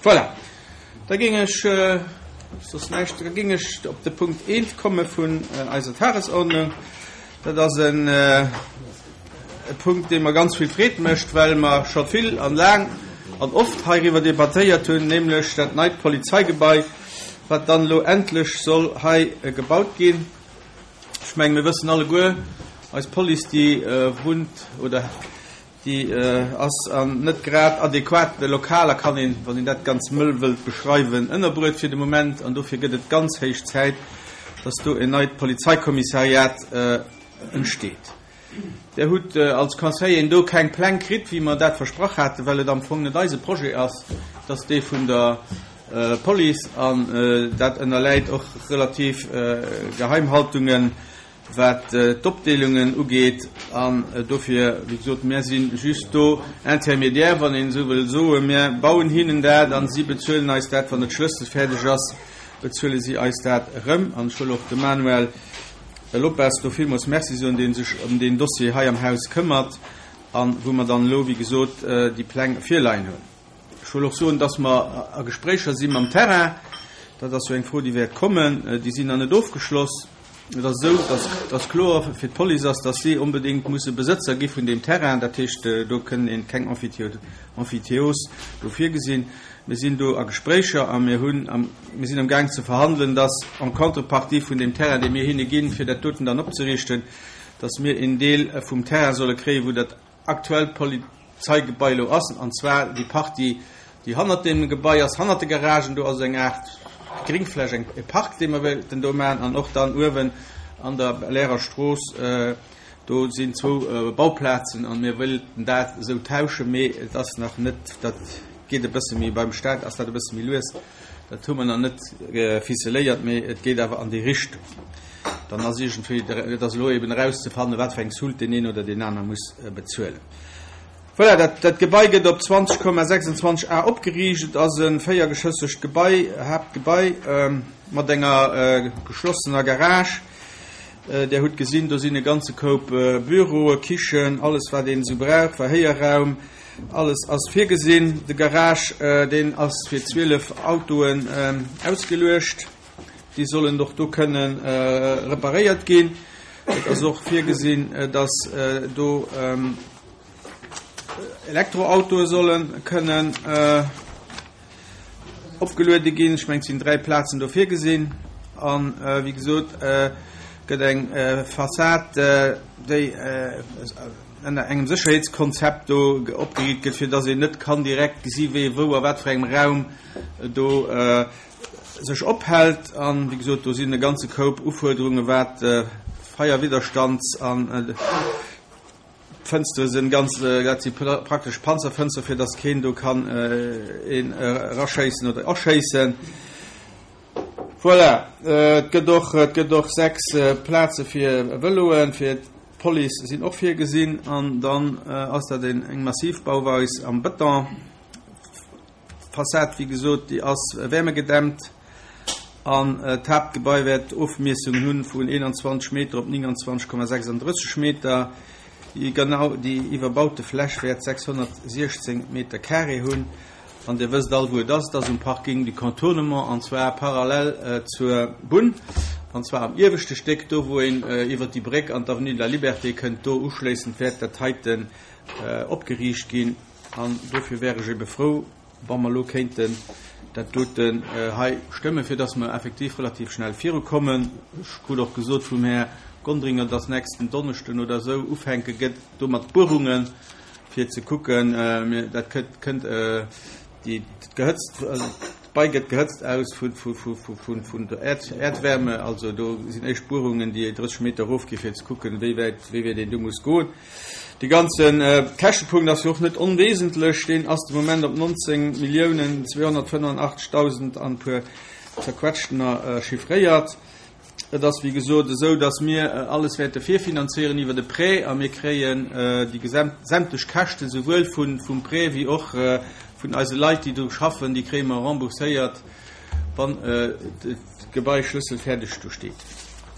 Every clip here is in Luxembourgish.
Voilà, da géing ech, soss näischt, da géing ech op de Punkt eent komme vun eiser Tagesordnung. Dat ass en e Punkt, dee mer ganz vill Freed mécht, well mer scho vill an laang an oft heiriwwer debattéiert hunn, nämlech dat neit Polizeigebai, wat dann elo endlech soll hei gebaut ginn. Ech mengen, mir wëssen alleguer, eis Police, déi wunnt oder déi ass an net grad adequate Lokaler, kann een, wann een dat ganz mëll wëllt beschreiwen, ënnerbruet fir de Moment. An dofir gëtt et ganz héich Zäit, dass do en neit Polizeikommissariat entsteet. Där hutt als Conseilleren do keng Pläng kritt, wéi mer dat versprach haten, well et am Fong net eise Projet ass, et ass dee vun der Police an dat ënnerläit och relativ Geheimhaltungen, wat d'Opdeelungen ugeet. An dofir, wéi gesot, mär si just do Intermédiaire, wann een esou wëll soen. Mär bauen hinnen dat an si bezuelen eis dat, wann et schlësselfäerdeg ass, bezuele si eis dat erëm. An ech wëll och dem Manuel Lopes do villmools Merci soen, dee sech ëm deen Dossier hei am Haus këmmert a wou mer dann elo, wéi gesot, déi Pläng virleien hunn. Ech wëll och soen, dass mer a Gespréicher si mam Terrain. Dat ass jo eng Fro, déi wäert kommen. Déi sinn nach net ofgeschloss. Et ass esou, dass dass kloer fir d'Police ass, dass si onbedéngt musse Besëtzer gi vun deem Terrain. Dat heescht, do kënn een keng Emphytéose do virgesinn. Mir sinn do a Gespréicher a mir hunn am, mir sinn amgaang ze verhandelen, dass en contrepartie vun deem Terrain, dee mir hinne ginn, fir dat doten dann opzeriichten, dass mir een Deel vum Terrain solle kréien, wou dat aktuellt Polizeigebai elo ass, an zwar déi Partie, déi hannert deem Gebai ass, hannert de Garagen. Do ass eng Aart Gringfläch, eng, e Park, dee mer wéilten do maachen, an och dann uewen an der Belair Strooss, do sinn zwou Bauplazen a mir wéilten dat esou tauschen, mee et ass nach net, dat geet e bësse méi, beim Staat ass dat e bësse méi lues, dat hu mer nach net ficeléiert, mee et geet awer an déi Richtung. Dann ass iergendwéi, et ass elo eben erauszefannen, wat fir eng Soult deen een oder deen aner muss bezuelen. Voilà, dat, dat Gebai gëtt op 20,26 Ar opgeriicht. Et ass e véiergeschëssegt Gebai, Haaptgebai, mat enger geschlossener Garage. Där hutt gesinn, do sinn e ganze Koup Büroe, Kichen, alles wat een esou brauch, Verhéierraum, alles ass virgesinn. De Garage, deen ass fir 12 Autoen ausgeluecht. Déi sollen och do kënne reparéiert ginn. Et ass och virgesinn, dass do Elektroautoe solle kënnen opgeluede ginn. Ech mengen, et sinn 3 Plazen do virgesinn. An, wéi gesot, gëtt eng Fassad, déi ënner engem Sécherheetskonzept do opgeriicht gëtt, fir dass een net kann direkt gesi wee wou a wat fir engem Raum do sech ophält. An, wéi gesot, do sinn e ganze Koup Ufuerderunge wat Feierwidderstands an d'Fënstere sinn, ganz, dat si praktesch Panzerfënstere fir datt keen do kann een eraschéissen oder erschéissen. Voilà, et gëtt och, et gëtt och 6 Plaze fir Vëloen, fir d'Police sinn och virgesinn an dann ass dat een eng massiv Bauweis am Bëton. D'Fassad, wéi gesot, déi ass wärmegedämmt an d'Haaptgebai wäert Ofmiessungen hunn vun 21 Meter op 29,36 Meter. Déi genau déi iwwerbaute Fläch wäert 616 Meter carré hunn. An Dir wësst all, wou et ass. Et ass um Parking du Contournement, an zwar parallel zur Bunn, an zwar am ieweschte Stéck, do wou een iwwert déi Bréck an d'Avenue de la Liberté kënnt. Do uschléissend wäert dat heiten opgeriicht ginn. An dofir wär ech ebe frou, wa mer elo kéinten dat doten hei stëmmen, fir dass mer effektiv relativ schnell virukommen. Ech krut och gesot vum Här Gonderinger, dass nächsten Donneschden oder esou ufänke gëtt do mat Buerungen, fir ze kucken, dat kënnt, déi gehëtzt, d'Bei gëtt gehëtzt aus vun der Äerdwärme, also do sinn éischt Buerungen, déi 30 Meter erofgi fir ze kucken, wéi wäit, wéi wäit een do muss goen. De ganze Käschtepunkt ass jo och net onwesentlech, deen ass de Moment op 19 Milliounen 285.000 an e puer zerquetschtener chiffréiert. Et ass wéi gesot esou, datt mir alles wäerte virfinanzéieren iwwer e Prêt a mir kréien déi sämtlech Käschten, souwuel vum Prêt wéi och vun eise Leit, déi do schaffen, déi kréie mer rembourséiert, wann d'Gebai schlësselfäerdeg do steet.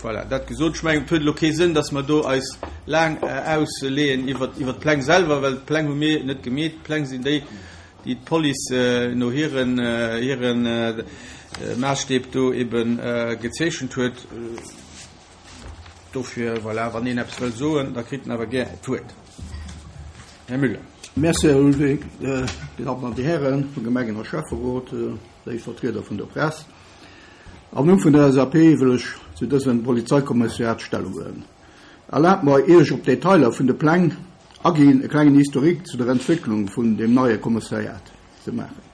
Voilà, dat gesot. Ech mengen, et huet elo kee Sënn, datt mer do eis laang ausleeën iwwer, iwwer d'Pläng selwer, well d'Pläng hu mir net gemeet. D'Pläng sinn déi. déi d'Police no hiren hiren Maasstäb do eben gezeechent huet. Dofir, voilà, wann een eppes wëll soen, da kritt en awer gär d'Wuert. Här Müller. Merci, Här Ulrich. Dir Dammen an Dir Hären vum Gemengen a Schäfferot, léif Vertrieder vun der Press, am Numm vun der LSAP wëll ech zu dësem Polizeikommissariat Stellung huelen. Erlaabt mer, ier ech op d'Detailer vun de Pläng aginn, e klengen Historique zu der Entwécklung vun deem neie Kommissariat ze maachen.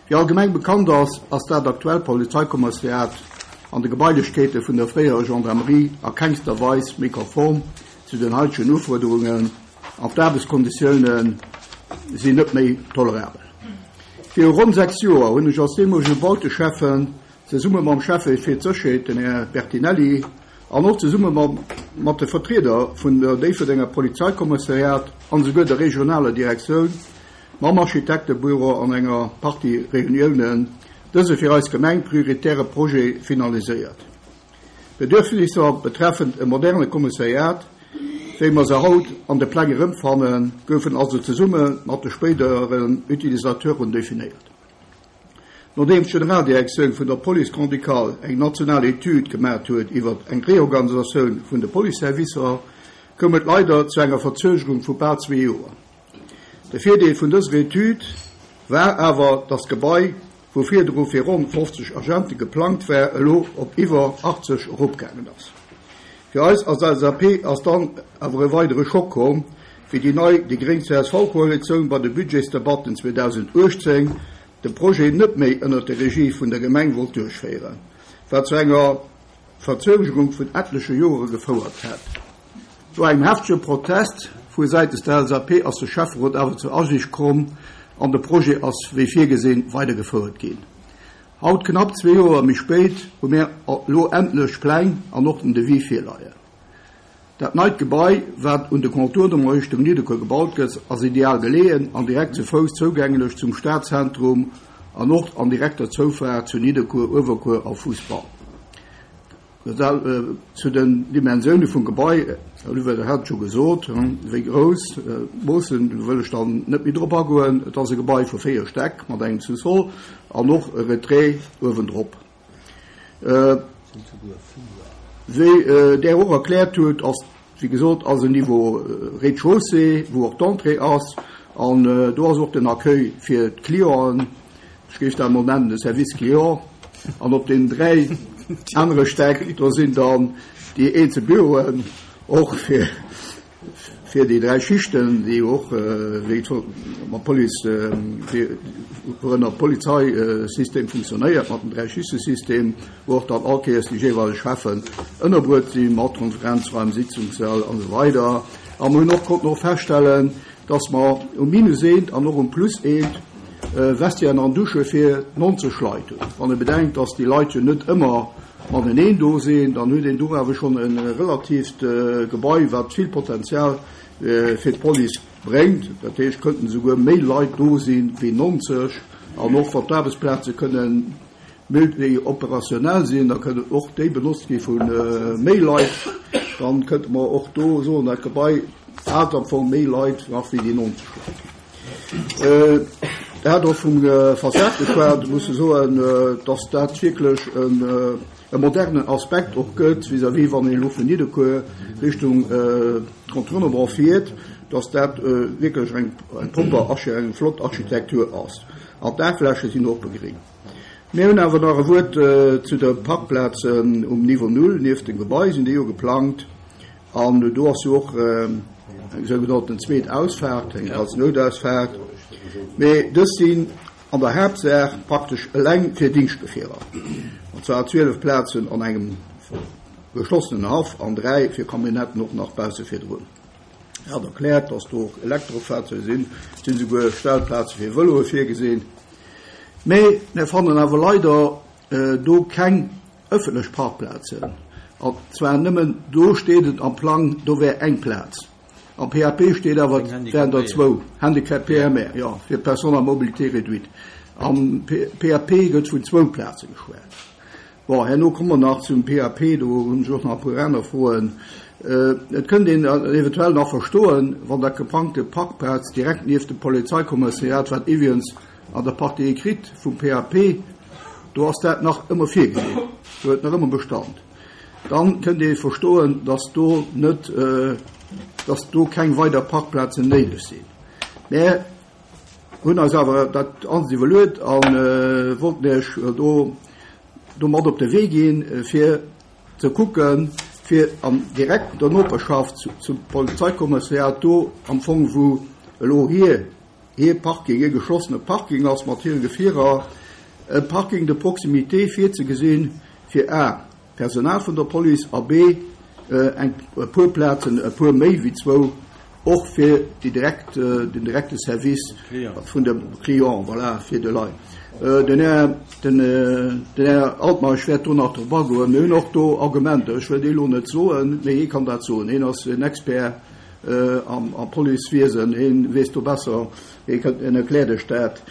Wéi allgemeng bekannt ass, ass dat aktuellt Polizeikommissariat an de Gebailechkeete vun der fréierer Gendarmerie a kengster Weis méi konform zu den haitegen Ufuerderungen an d'Aarbechtskonditioune sinn net méi tolerabel. Viru ronn 6 Joer hunn ech als deemolege Bauteschäffen zesumme mam Schäffe fir d'Sécherheet, den Här Bertinelli, an och zesumme mat de Vertrieder vun der Déifferdenger Polizeikommissariat an esouguer der regionaler Direktioun, mam Architektebüro an enger Partie Reuniounen, dëse fir eis Gemeng prioritäre Projet finaliséiert. D'Bedürfnisser betreffend e moderne Kommissariat, wéi mer se haut an de Pläng erëmfannen, goufen also zesumme mat de spéideren Utilisateuren definéiert. Nodeems d'Generaldirektioun vun der Police grand-ducale eng national Etüd gemat huet iwwer eng Reorganisatioun vun de Policeservicer, koum et leider zu enger Verzögerung vu bal zwee Joer. De Virdeel vun dëser Etüd war awer, datt d'Gebai, wou virdru fir ronn 50 Agente geplangt war, elo op iwwer 80 eropgaangen ass. Fir eis als LSAP ass dann awer e weidere Schock komm, wéi déi nei déi gréng-CSV-Koalitioun bei de Budgetsdebatten 2018 de Projet net méi ënnert der Regie vun der Gemeng wollt duerchféieren, wat zu enger Verzögerung vun etleche Jore gefouert hätt. No engem heftege Protest vu säitens der LSAP ass de Schäfferot awer zur Asiicht komm an de Projet ass wéi virgesinn weidergefouert ginn. Haut, knapp zwee Joer méi spéit, hu mär elo endlech d'Pläng an och den Devis virleien. Dat neit Gebai, wat un de Contournement Richtung Nidderkuer gebaut gëtt, ass ideal geleeën an direkt ze Fouss zougänglech zum Stadzentrum an och an direkter Zoufaart zu Nidderkuer, Uewerkuer a Fuussbann. Zu den Dimensioune vum Gebai, Här Olivier, dat hat ech scho gesot, wéi grouss d'Moossen, do wëll ech dann net méi drop agoen. Et ass e Gebai vu 4 Stäck mat engem Sous-sol an och e Retrait uewendrop. Wéi Der och erkläert hutt, ass, wéi gesot, ass en Niveau Rez-de-chaussée, wou och d'Entrée ass, an do ass och den Accueil fir d'Clienten. Ech géif dat emol nennen de Service client. An op deenen 3 anere Stäck, do sinn dann déi eenzel Büroen, och fir, fir déi 3 Schichten, déi och wéi mat Police, wourënner d'Polizeisystem funktionéiert, mat dem Dräischichtesystem, wou och dann all Kéiers déi jeeweileg Cheffen ënnerbruet sinn, mat Konferenzraim, Sitzungssäll an esou weider. A mer hunn och konnten och feststellen, dass mer um Minus eent an och um Plus eent Vestiairen an Dusche fir 90 Leit hunn. Wann ee bedenkt, dass déi Leit jo net ëmmer mateneen do sinn, dann huet een do awer schonn e relatiivt Gebai, wat vill Potenzial fir d'Police bréngt. Dat heescht, kënnten esouguer méi Leit do si wéi 90. An och wann d'Aarbechtsplaze kënnen multi-opérationnel sinn, da kënnen och déi benotzt gi vu méi Leit. Dann kënnte mer och do soen, dat Gebai hat am Fong méi Leit nach wéi déi 90 Leit. Der hat och vum Fassad geschwat. Ech muss soen, dass dat wierklech e modernen Aspekt och gëtt vis-à-vis wann een elo vun Nidderkuer Richtung Contournement fiert, dass dat wierklech eng propper, eng flott Architektur ass. An d'Daachfläche sinn och begréngt. Mir hunn awer nach e Wuert zu de Parkplazen um Niveau Null nieft dem Gebai, sinn déi jo geplangt. An do ass jo och eng sougenannten zweet Ausfaart, eng als Noutausfaart. Mee dës sinn an der Haaptsaach praktesch eleng fir Dingschtgefierer, an zwar 12 Plazen an engem geschlossenen Haff an 3 fir Camionnetten och nach bausse virdrun. Er hat erkläert, dass do och Elektrofahrzeuge sinn, et sinn esouguer Stellplaze fir Vëloe virgesinn. Mee mir fannen awer leider do keng ëffentlech Parkplazen. An zwar nëmmen do steet et am Plang, do wär eng Plaz. Am PAP steet awer, et wären der zwou. Handicap PMR, jo, fir Personnes à mobilité réduite. Am PAP gëtt vun zwou Plaze geschwat. Bon, herno komme mer nach zum PAP, do hunn ech och nach e puer aner Froen. Et kënnt een eventuell nach verstoen, wann dat geplangte Parkplaz direkt nieft dem Polizeikommissariat, wat iwwregens. An der Partie écrite vum PAP, do ass dat nach ëmmer virgesinn, do huet nach ëmmer Bestand. Dann kënnt ee verstoen, dass do net, dass do keng weider Parkplazen néideg sinn. Mär hunn eis awer dat alles iwwerluet a wollten Iech do domat op de Wee ginn, fir ze kucken, fir an direkter Noperschaft zum Polizeikommissariat do am Fong, wou elo hir hir Parking, hir geschlossene Parking ass mat hire Gefierer, e Parking de proximité virzegesinn, fir a. D'Personal vun der Police a b. Eng e puer Plazen, e puer méi wéi zwou, och fir déi direkt, den direkte Service vun de Client, voilà, fir de Leit. Den Här, den, den Här Altmeisch wäert do nach drop agoen. Mir hunn och do Argumenter, ech wëll déi elo net soen, mee hie kann dat soen. Hien ass en Expert am, am Policewiesen, hien weess do besser, hie kënnt, hien erkläert Iech dat,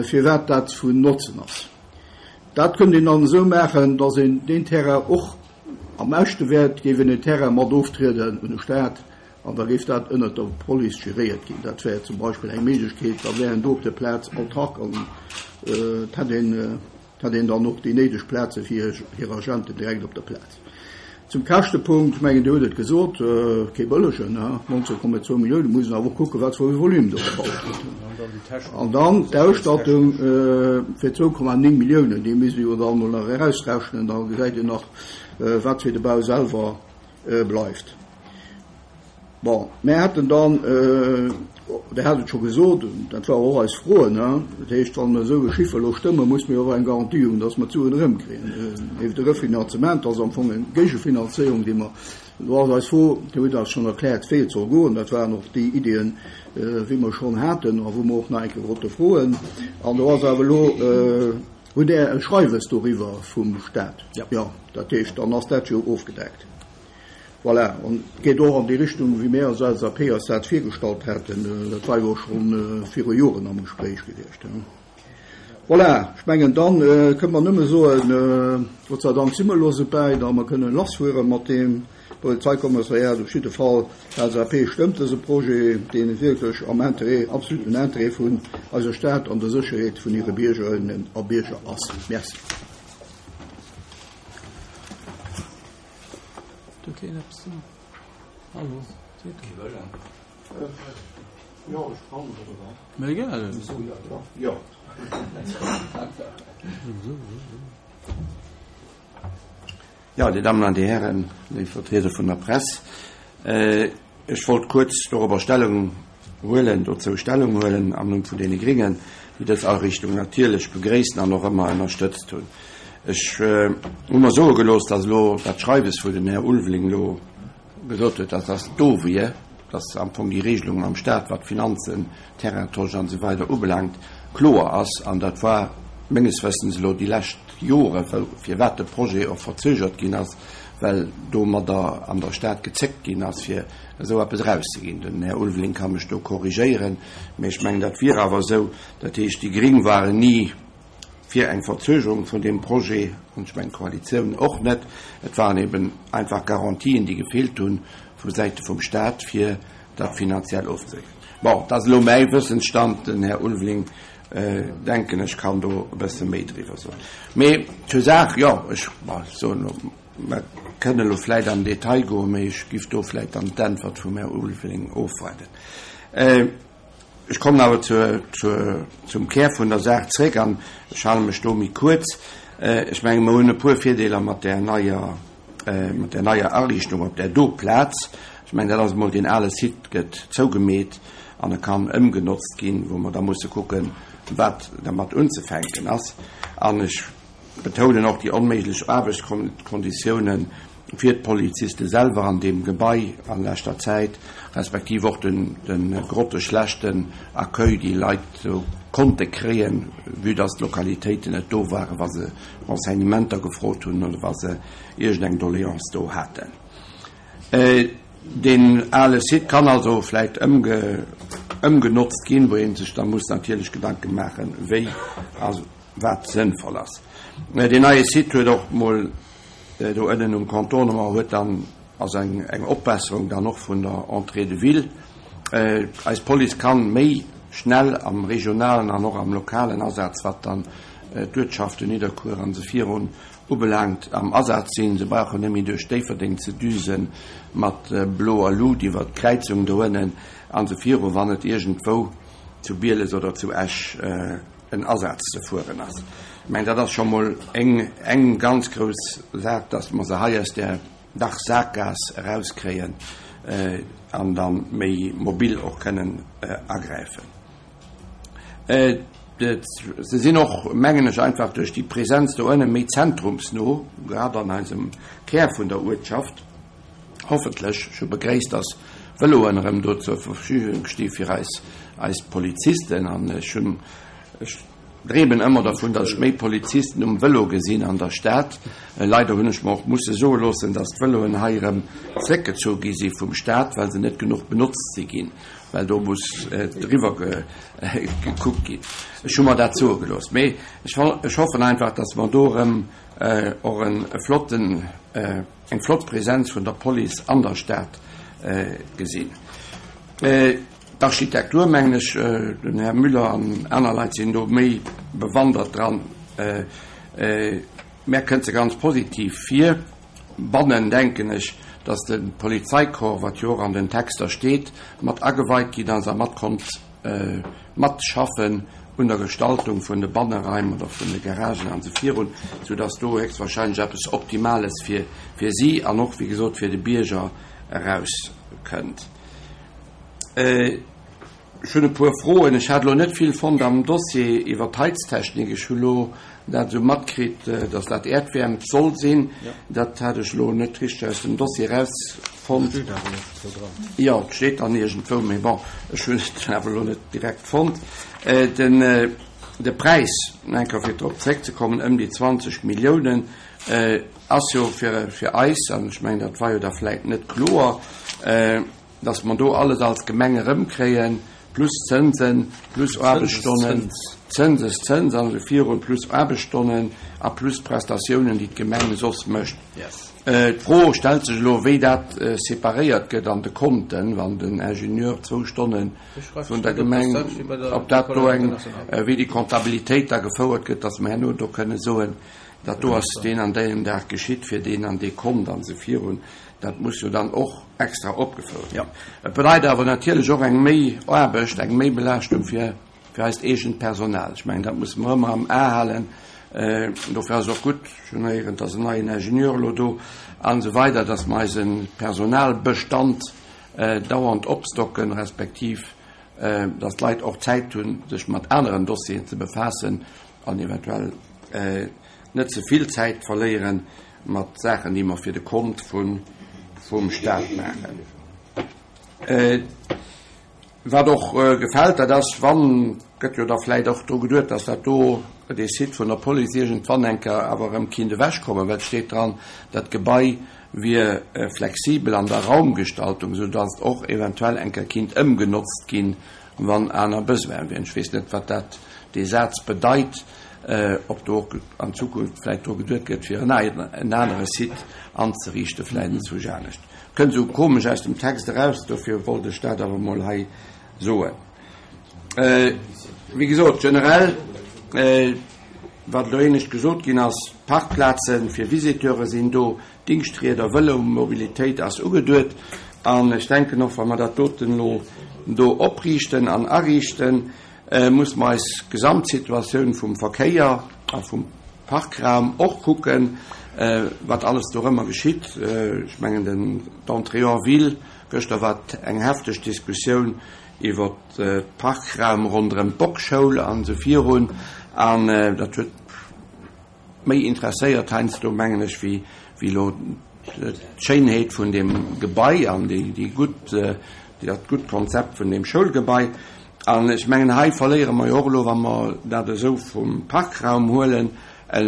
firwat dat vun Notzen ass. Dat kënnt een dann esou maachen, dass een deen Terrain och am beschte wäert, géif een den Terrain mat oftrieden un de Stat an da géif dat ënnert der Police geréiert ginn. Dat wär zum Beispill eng Méiglechkeet. Da wär een do op der Plaz autark an et hätt een, et hätt een dann och déi néideg Plaze fir hir Agenten direkt op der Plaz. Zum Käschtepunkt, ech mengen, Dir hutt et gesot, kee bëllegen, 19,2 Milliounen, muss een awer och kucken, wat fir e Volume do gebaut gëtt. An dann d'Ausstattung fir 2,9 Milliounen, déi misst ee jo dann emol nach erausrechnen, da gesäit een nach, wat fir de Bau selwer bleift. Bon, mär hätten dann, Der hat et scho gesot, dat war och eis Fro, ne, dat heescht, wa mer esou e Chiffer elo stëmmen, muss mer jo och eng Garantie hunn, dass mer d'Suen erëmkriegen. Nieft de Refinanzement ass am Fong eng Géigefinanzéierung, déi mer, do ass eis Fro, Dir hutt eis schonn erkläert, wéi et soll goen, dat waren och déi Iddien, wéi mer schonn haten a wou mer och nach eng Kéier wollte froen. An do ass awer elo, hutt Der e Schreiwes doriwwer vum Stat? Jo, dat heescht, dann ass dat jo ofgedeckt. Voilà, an et geet och an déi Richtung, wéi mir als LSAP eis dat virgestallt haten. Dat war jo och scho viru Joren am Gespréich gewiescht. Voilà, ech mengen, da kënne mer nëmme soen, Gott sei Dank si mer elo esou wäit a mer kënnen lassfuere mat deem Polizeikommissariat. Op jidde Fall, d'LSAP stëmmt dëse Projet, deen wierklech am Interêt, absoluten Interêt vun eiser Stad an der Sécherheet vun hire Biergerinnen a Bierger ass. Merci. Do keen eppes soen? Hallo, seet Mä egal. Jo, Dir Dammen an Dir Hären, léif Vertrieder vun der Press, ech wollt kuerz dorobber Stellung huelen, dozou Stellung huelen am Numm vun deene Gringen, déi dës Ariichtung natierlech begréissen an och ëmmer ënnerstëtzt hunn. Ech hu mer soe gelooss, dass elo dat Schreiwes, wou den Här Ulveling elo gesot huet, dass dat do wier, dass am Fong déi Regelung mam Stat, wat d'Finanzen, Terraintosch an esou weider ubelaangt, kloer ass. An dat war menges Wëssens elo déi lescht Jore, firwat de Projet och verzögert ginn ass, well domadder an der Stad gezéckt ginn ass, fir esou eppes erauszeginn. Den Här Ulveling ka mech do korrigéieren, mä ech mengen, dat wier awer esou. Dat heescht, déi Gring waren ni fir eng Verzögerung vun deem Projet, an ech mengen, d'Koalitioun och net. Et waren eben einfach Garantien, déi gefeelt hunn vu Säite vum Stat, fir dat finanziell ofzesécheren. Bon, dat ass elo mäi Wëssensstand. Den Här Ulveling, denken ech, kann do e bësse méi driwwer soen. Mee zur Saach, jo, ech soen elo, mer kënnen elo vläicht an den Detail goen, mee ech giff do vläicht dann d'Äntwert vum Här Ulveling ofwaarden. Ech kommen awer zur, zur, zum Kär vun der Saach zréck an ech hale mech do méi kuerz. Ech menge mer hunn e puer Virdeeler mat där neier, mat där neier Ariichtung op där do Plaz. Ech mengen, dat ass emol, deen ale Site gëtt zougemeet an e kann ëmgenotzt ginn, wou mer da musse kucken, wat dermat unzefänken ass. An ech betounen och déi onméiglech Aarbechtskonditiounen fir d'Poliziste selwer an deem Gebai a leschter Zäit, respektiv och de grotteschlechten Accueil, déi Leit do konnte kréien, vue dass d'Lokalitéiten net do waren, wa se Renseignementer gefrot hunn oder wa se iergendeng Doléance do haten. Deen ale Site kann also vläicht ëmgenotzt ginn, wou ee sech da muss natierlech Gedanke maachen, wéi a wat sënnvoll ass. Deen neie Site huet och mol do ënnen um Contournement huet dann, ass eng Opbesserung dann och vun der Entrée de ville. Eis Police kann méi. schnell am regionalen an och am lokalen Asaz, wat dann d'Uertschaften Nidderkuer an esou virun ubelaangt, am Asaz sinn. Se brauchen net méi duerch Déifferdeng ze düse mat bloer Lut iwwert d'Kräizung doënnen an esou viru, wann et iergendwou zu Bieles oder zu Esch en Asaz ze fueren ass. Ech mengen, dat ass scho mol eng, eng ganz grouss Saach, dass mer se hei aus där dach Sakgaass erauskréien an da méi mobil och kënnen agräifen. Se sinn och, mengen ech, einfach duerch déi Präsenz do ënne méi zentrumsno, grad an eisem Kär vun der Uertschaft, hoffentlech. Ech hu begréisst, dass Vëloen erëm do zur Verfügung sti fir eis, eis Polizisten an ech hunn, ech dreemen ëmmer dervun, dass ech méi Polizisten um Vëlo gesinn an der Stad. Leider hunn ech mer och musse soe loossen, dass d'Vëloen hei erëm zréckgezu gi si vum Staat, well se net genuch benotzt si ginn, well do muss driwwer gekuckt ginn. Ech hu mer dat soe gelooss. Mee ech hoffen einfach, dass mer do erëm och e flotten, eng flott Präsenz vun der Police an der Stad gesinn. D'Architektur, mengen ech, den Här Müller an aner Leit sinn do méi bewandert dran, mär kënnt se ganz positiv vir. Bannen denken ech, datt de Polizeicorps, wat jo och an den Texter steet, mat ageweit ginn ass a mat konnt matschaffen un der Gestaltung vun de Banneraim oder vun de Garagen an esou virun, soudatt do héchstwahrscheinlech eppes Optimales fir si an och, wéi gesot, fir de Bierger erauskënnt. Ech hunn e puer Froen. Ech hat elo net vill fonnt am Dossier iwwer d'Heiztechnik. Ech hu lo dat esou matkritt, datt dat Äerdwäermt soll sinn. Dat hat ech elo net richteg aus dem Dossier erausfonnt. Jo, et steet dann iergendwou, mee bon, ech hunn et awer elo net direkt fonnt. Den, de Präis, nach eng Kéier fir drop zréckzekommen, ëm déi 20 Milliounen, ass jo fir, fir eis, an ech mengen, dat war jo da vläicht net kloer, Dass mer do alles als Gemeng erëmkréien, plus Zënsen, plus Aarbechtsstonnen, Zënseszëns an esou virun, plus Aarbechtsstonnen a plus Prestatiounen, déi d'Gemeng soss mécht. D'Fro stellt sech elo, wéi dat separéiert gëtt an de Konten, wann den Ingenieur zwou Stonne vun der Gemeng, ob dat do eng, wéi déi Comptabilitéit da gefouert gëtt, dass mer herno do kënne soen, dat do ass deen an deem Dag geschitt fir deen an dee Kont an esou virun. Dat muss jo dann och extra opgefouert ginn. Et bedeit awer natierlech och eng méi Aarbecht, eng méi Belaaschtung fir fir eist eegent Personal. Ech mengen, dat musse mer ëmmer am A halen. Dofir ass et och gutt, ech hunn héieren, et ass en neien Ingenieur elo do an esou weider, dass mer eise Personalbestand dauernd opstocken, respektiv dass d'Leit och Zäit hunn, sech mat aneren Dossieren ze befaassen an eventuell net ze vill Zäit verléieren mat Saachen, déi mer fir de Kont vum Staat maachen. Wat och gefält, dat ass, wann, gëtt jo da vläicht och dru geduet, dass dat do, dee Site vun der Police iergendwann eng Kéier awer erëm kinnt ewechkommen, well et steet dran, dat Gebai wier flexibel an der Raumgestaltung, soudass et och eventuell eng Kéier kinnt ëmgenotzt ginn, wann aner Besoine wieren. Ech weess net, wat dat, dee Saz bedeit, ob do och an Zukunft vläicht dru geduet gëtt, fir en anere Site anzeriichten, vläicht enzwousch anescht. Kënnt esou komesch aus dem Text eraus, dofir wollt ech dat awer emol hei soen. Wéi gesot, generell, wat elo éinescht gesot ginn ass, Parkplaze fir Visiteure sinn do, Dingschtrieder, Vëlomobilitéit ass ugeduet. An ech denken och, wa mer dat doten elo do opriichten an ariichten, muss mer eis Gesamtsituatioun vum Verkéier a vum Parkraum och kucken, wat alles dorëmmer geschitt. Ech mengen, den d'Entrée en ville, gëschter war eng hefteg Diskussioun iwwer d'Parkraum ronderëm d'Bockschoul an esou virun, an dat huet méi interesséiert heiansdo, mengen ech, wéi elo d'Schéinheet vun deem Gebai an déi gutt, dat gutt Konzept vun deem Schoulgebai. An ech mengen, hei verléiere mer jo och elo, wa mer dat esou vum Parkraum huelen, e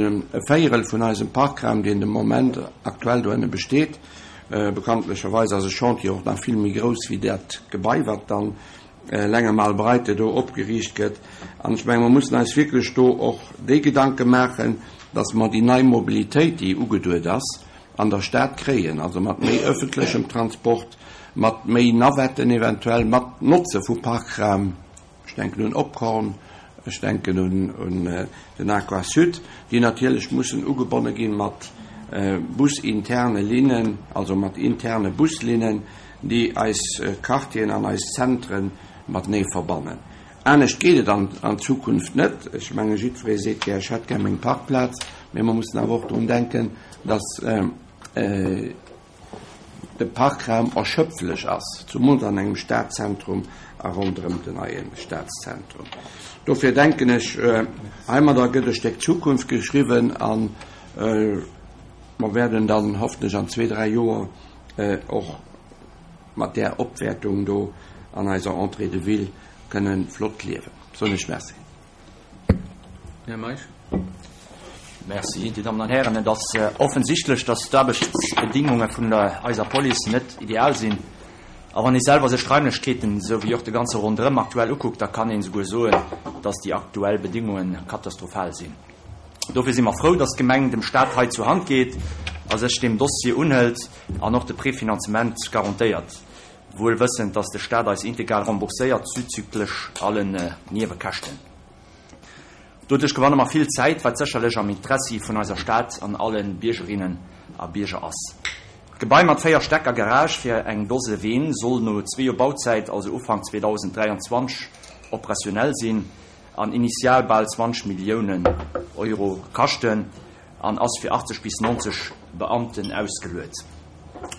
Véierel vun eisem Parkraum, deen de Moment aktuell dohinne besteet. Bekanntlecherweis ass e Chantier och nach vill méi grouss wéi dat Gebai, wat dann Langemalbreite do opgeriicht gëtt. An ech menge mer mussen eis wierklech do och déi Gedanke maachen, dass mer déi nei Mobilitéit, déi ugeduet ass, an der Stad kréien, also mat méi öffentlechem Transport, mat méi Navetten eventuell, mat Notze vu Parkraum. denken un Opkorn, ech denken un den Aquasud, déi natierlech mussen ugebonne gi mat businterne Linnen, also mat interne Buslinnen, déi eis Quartieren an eis Zentre matenee verbannen. Anescht geet et an Zukunft net. Ech menge jiddweree seet gär, ech hätt gär meng Parkplaz, mee mer mussen awer och drun denken, datt de Parkraum erschöpflech ass, zumools an engem Stadzentrum a ronderëm den neie Stadszentrum. Dofir denken ech, heimadder gëtt e Stéck Zukunft geschriwwen a mer wäerten dann hoffentlech an zwee, dräi Joer och mat där Opwäertung do an eiser Entrée de ville kënnen flott liewen. Soen ech Merci. Här Meisch. Merci, Dir Dammen an Hären. Et ass offensichtlech, dass d'Aarbechtsbedingunge vun der eiser Police net ideal sinn. A wann ee selwer sech d'Raimlechkeeten, esou wéi och de ganze Ronderëm aktuell ukuckt, da kann een esouguer soen, dass déi aktuell Bedingunge katastrophal sinn. Dofir si mer frou, dass d'Gemeng dem Stat hei zur Hand geet a sech deem Dossier unhëlt an och de Prefinanzement garantéiert, wuel wëssend, dass de Stat eis integral rembourséiert zuzüglech allen Niewekäschten. Doduerch gewanne mer vill Zäit, wat sécherlech am Interessi vun eiser Stad an alle Biergerinnen a Bierger ass. D'Gebai mat 4 Stäck a Garage fir eng Dose Ween soll no zwee Joer Bauzäit, also Ufank 2023, operationell sinn an initial bal 20 Milliounen Euro kaschten an ass fir 80 bis 90 Beamten ausgeluet.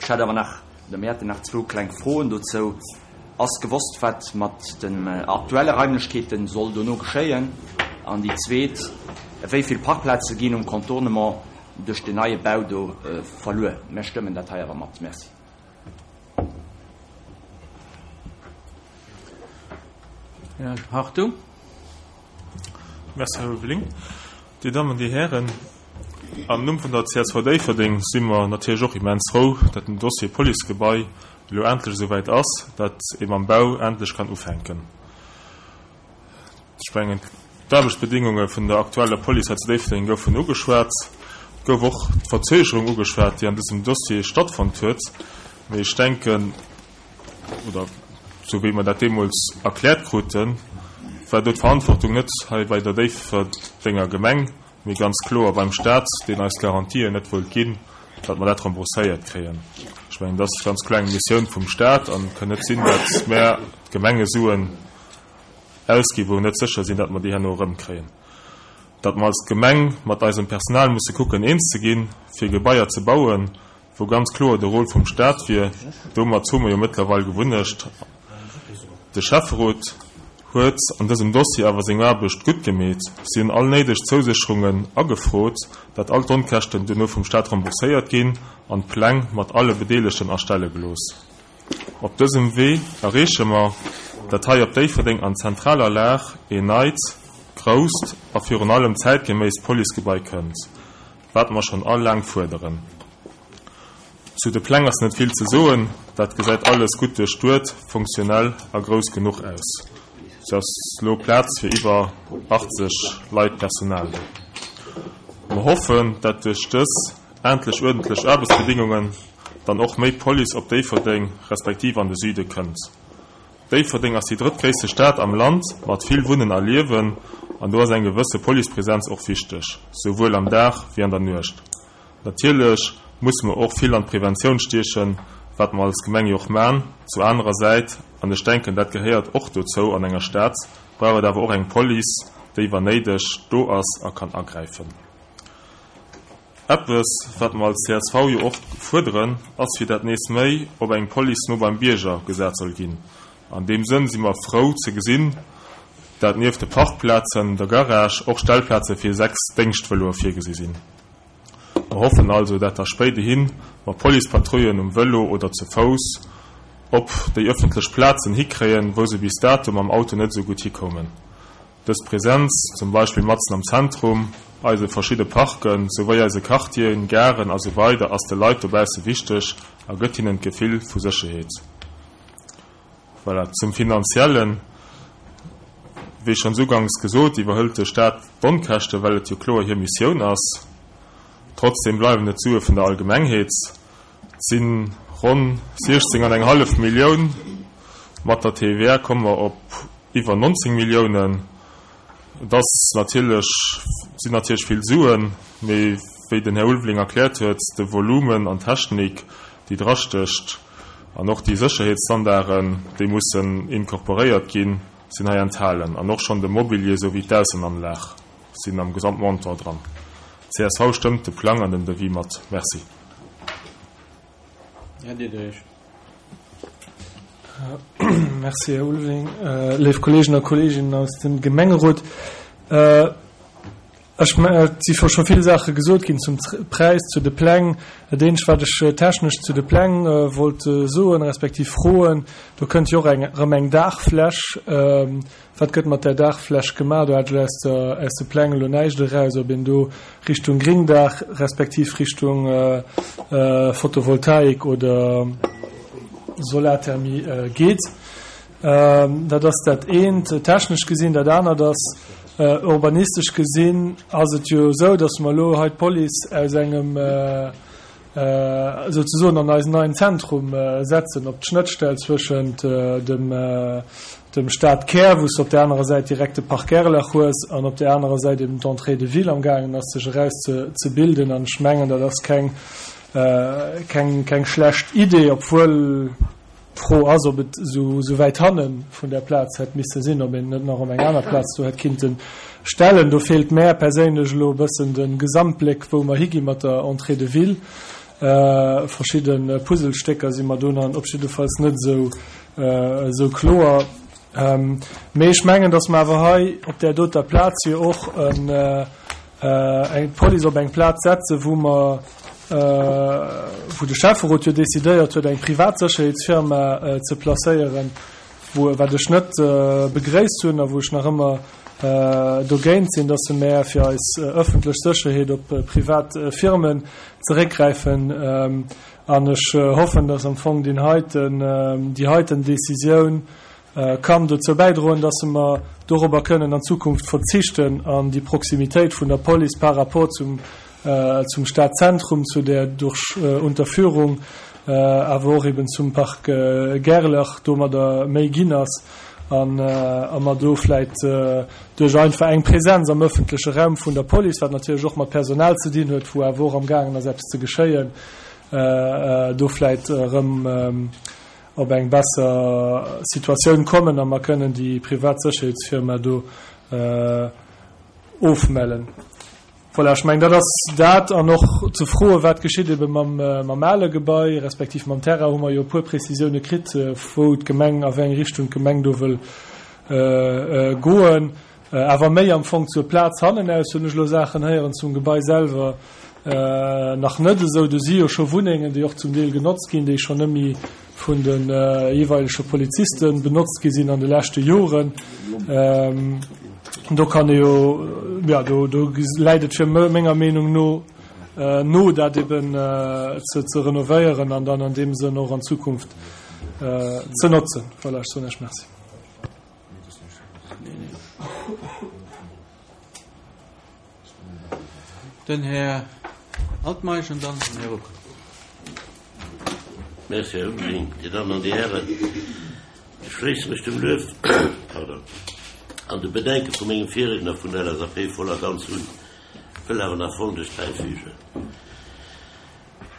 Ech hätt awer nach, oder mir hätten nach zwou kleng Froen dozou. Ass gewosst, wat mat den aktuelle Raimlechkeeten soll dono geschéien? An déi zweet, Wéi vill Parkplaze ginn um Contournement duerch den neie Bau do verluer? Mir stëmmen dat hei awer mat. Merci. Här Hartung. Merci, Här Ulveling. Dir Dammen, Dir Hären, am Numm vun der csv Déifferdeng si mer natierlech och immens frou, datt den Dossier Policegebai elo endlech esou wäit ass, datt ee mam Bau endlech kann ufänken. Ech mengen, d'Aarbechtsbedingunge vun der aktueller Police hei zu Déifferdeng goufen ugeschwat. Et gouf och d'Verzögerung ugeschwat, déi an dësem Dossier stattfonnt huet. Mee ech denken, oder esou wéi mer dat deemools erkläert kruten, war do d'Verantwortung net hei bei der Déifferdenger Gemeng, mee ganz kloer beim Stat, deen eis d'Garantien net wollt ginn, datt mer dat rembourséiert kréien. Ech mengen, dat ass ganz kloer eng Missioun vum Stat an et kann net sinn, datt mär d'Gemengesuen ausginn, wou mer net sécher sinn, datt mer déi herno erëmkréien. Datt mer als Gemeng mat eisem Personal musse kucken, eens ze ginn, fir Gebaier ze bauen, wou ganz kloer de Rôle vum Stat wier, domat hu mer jo mëttlerweil Gewunnecht. De Schäfferot huet an dësem Dossier awer seng Aarbecht gutt gemeet. Si hunn all néideg Zousécherungen agefrot, dat all d'Onkäschten duerno vum Stat rembourséiert ginn an d'Pläng mat alle Bedeelegten erstelle gelooss. Op dësem Wee erreeche mer, dat hei op Déifferdeng an zentraler Lag een neit, grousst a virun allem zäitgeméisst Policegebai kënnt. Wat mer schonn all laang fuerderen. Zu de Pläng ass net vill ze soen, dat gesäit alles gutt duerchduet, funktionell a grouss genuch aus. Et ass elo Plaz fir iwwer 80 Leit Personal do. Mer hoffen, dat duerch dës endlech uerdentlech Aarbechtsbedingungen dann och méi Police op Déifferdeng respektiv an de Süde kënnt. Déifferdeng ass déi drëttgréisste Stad am Land mat vill Wunnen a Liewen an do ass eng gewësse Policepresenz och wichteg, souwuel am Dag wéi an der Nuecht. Natierlech musse mer och vill an d'Preventioun stiechen, wat mer als Gemeng jo och man. Zu anerer Säit, an ech denken dat gehéiert och dozou an enger Stad, brauch et awer och eng Police, déi wann néideg do ass a kann agräifen. Eppes, wat mer als csv jo och fuerderen, ass fir dat nees méi op eng Police no beim Bierger gesat soll ginn. An deem Sënn si mer frou ze gesinn, dat nieft de Parkplazen, der Garage och Stellplaze fir 6 Déngschtvëloe virgesi sinn. Mer hoffen also, dat da spéidehi mer Policepatrouillen um Vëlo oder ze Fouss op déi ëffentlech Plazen hikréien, wou se bis dato mam Auto net esou gutt hikoumen. Dës Präsenz, zum Beispill matzen am Zentrum, eise verschidde Parken, souwéi eise Quartieren, Garen a sou weider ass de Leit dobausse wichteg a gëtt hinnen d'Gefill vu Sécherheet. Voilà, zum Finanziellen, Wéi schonns ugangs gesot, iwwerhëlt de Staat d'Onkäschten, well et jo kloer hir Missioun ass. Trotzdem bleiwen et d'Sue vun der Allgemengheet. Et si ronn 16 an eng hallef Millioun. Mat der TVA komme mer op. Iwwer 19 Milliounen. Et ass natierlech, sinn natierlech vill Suen, mee wéi den Här Ulveling erkläert huet, de Volumen an d'Technik, déi drastécht, an och déi Sécherheetsstandarden, déi mussen incorporéiert ginn, sinn hei enthalen. An och schonn de Mobilier souwéi d'Aussenanlag sinn am Gesamtmontant dran. Csv stëmmt de Plang an den Devis mat. Merci. Här Diderich. Merci, Här Ulveling. Léif Kolleegen a Kolleeginnen aus dem Gemengerot, ech, et si scho vill Saache gesot ginn zum Präis, zu de Pläng. Dat eenzegt, wat ech technesch zu de Pläng wollt soen, respektiv froen, do kënnt jo och eng, erëm eng Daachfläch. Wat gëtt mat där Daachfläch gemaach? Do hat ech aus der, aus de Pläng elo näischt eraus, ob een do Richtung Gringdaach respektiv Richtung Photovoltaik oder Solarthermie geet. Dat ass dat eent, technesch gesinn. Dat anert ass, urbanistesch gesinn ass et jo esou, datt mer elo hei d'Police aus engem, souzesoen an eisen neien Zentrum setzen, op d'Schnëttstell zwëschent dem dem Stadkär, wou s de op där anerer Säit direkt de Parc Gerlach hues an op där anerer Säit eben d'Entrée de ville am gaangen ass sech eraus ze ze bilden. An ech mengen, dat ass keng keng keng schlecht Idee, obwuel d'Fro ass, ob et esou esou wäit hanne vun där Plaz hätt misse sinn, ob een et net nach op eng aner Plaz do hätt kinnte stellen. Do feelt mär perséinlech elo e bëssen de Gesamtbléck, wou mer higi mat der Entrée de ville. Verschidde Puzzlestécker si mer do nach op jiddefalls net esou esou kloer. Mee ech mengen, datt mer awer hei op där doter Plaz jo och en, eng d'Police op eng Plaz setzen, wou mer, wou de Schäfferot jo decidéiert huet, eng privat Sécherheetsfirma ze placéieren, wou, wat ech net begréisst hunn a wou ech nach ëmmer dogéint sinn, dass mer fir eis ëffentlech Sécherheet op privat Firmen zeréckgräifen. An ech hoffen, dass am Fong deen heiten, déi heiten Décisioun kann dozou bäidroen, dass mer dorobber kënnen an Zukunft verzichten an déi Proximitéit vun der Police par rapport zum, zum Stadzentrum, zu der durch Unterführung, awer och eben zum Parc Gerlach domadder méi ginn ass an a mer do vläit duerch einfach eng Präsenz am öffentleche Raum vun der Police, wat natierlech och mat Personal ze dinn huet, wou awer och amgaangen ass eppes ze geschéien, do vläit erëm op eng besser Situatioun kommen a mer kënnen déi privat Sécherheetsfirma do ofmellen. Voilà, ech mengen, dat ass dat. An och ze froen, wat geschitt ebe mam, mam ale Gebai, respektiv mam Terrain, hu mer jo e puer Prezisioune kritt, wou d'Gemeng, a wéi eng Richtung d'Gemeng do wëll goen. Awer méi am Fong zur Plaz hannenaus hunn ech elo Saachen héieren, zum Gebai selwer nach net esou. Do si jo scho Wunnengen, déi och zum Deel genotzt ginn, déi schonn net méi vun de jeeweilege Poliziste benotzt gi sinn an de leschte Joren. Do kann ee jo, jo, do, do läit et fir menger Meenung no no, dat eben ze, ze renovéieren an dann an deem Sënn och an Zukunft ze notzen. Voilà, ech soen Iech Merci. Den Här Altmeisch an dann den Här Ruck. Merci, Här Ulveling. Dir Dammen an Dir Hären, ech schléisse mech dem Luef, pardon, an de Bedenke vu mengem Virriedner vun der LSAP voll a ganz un, wëll awer nach Folgendes bäifügen.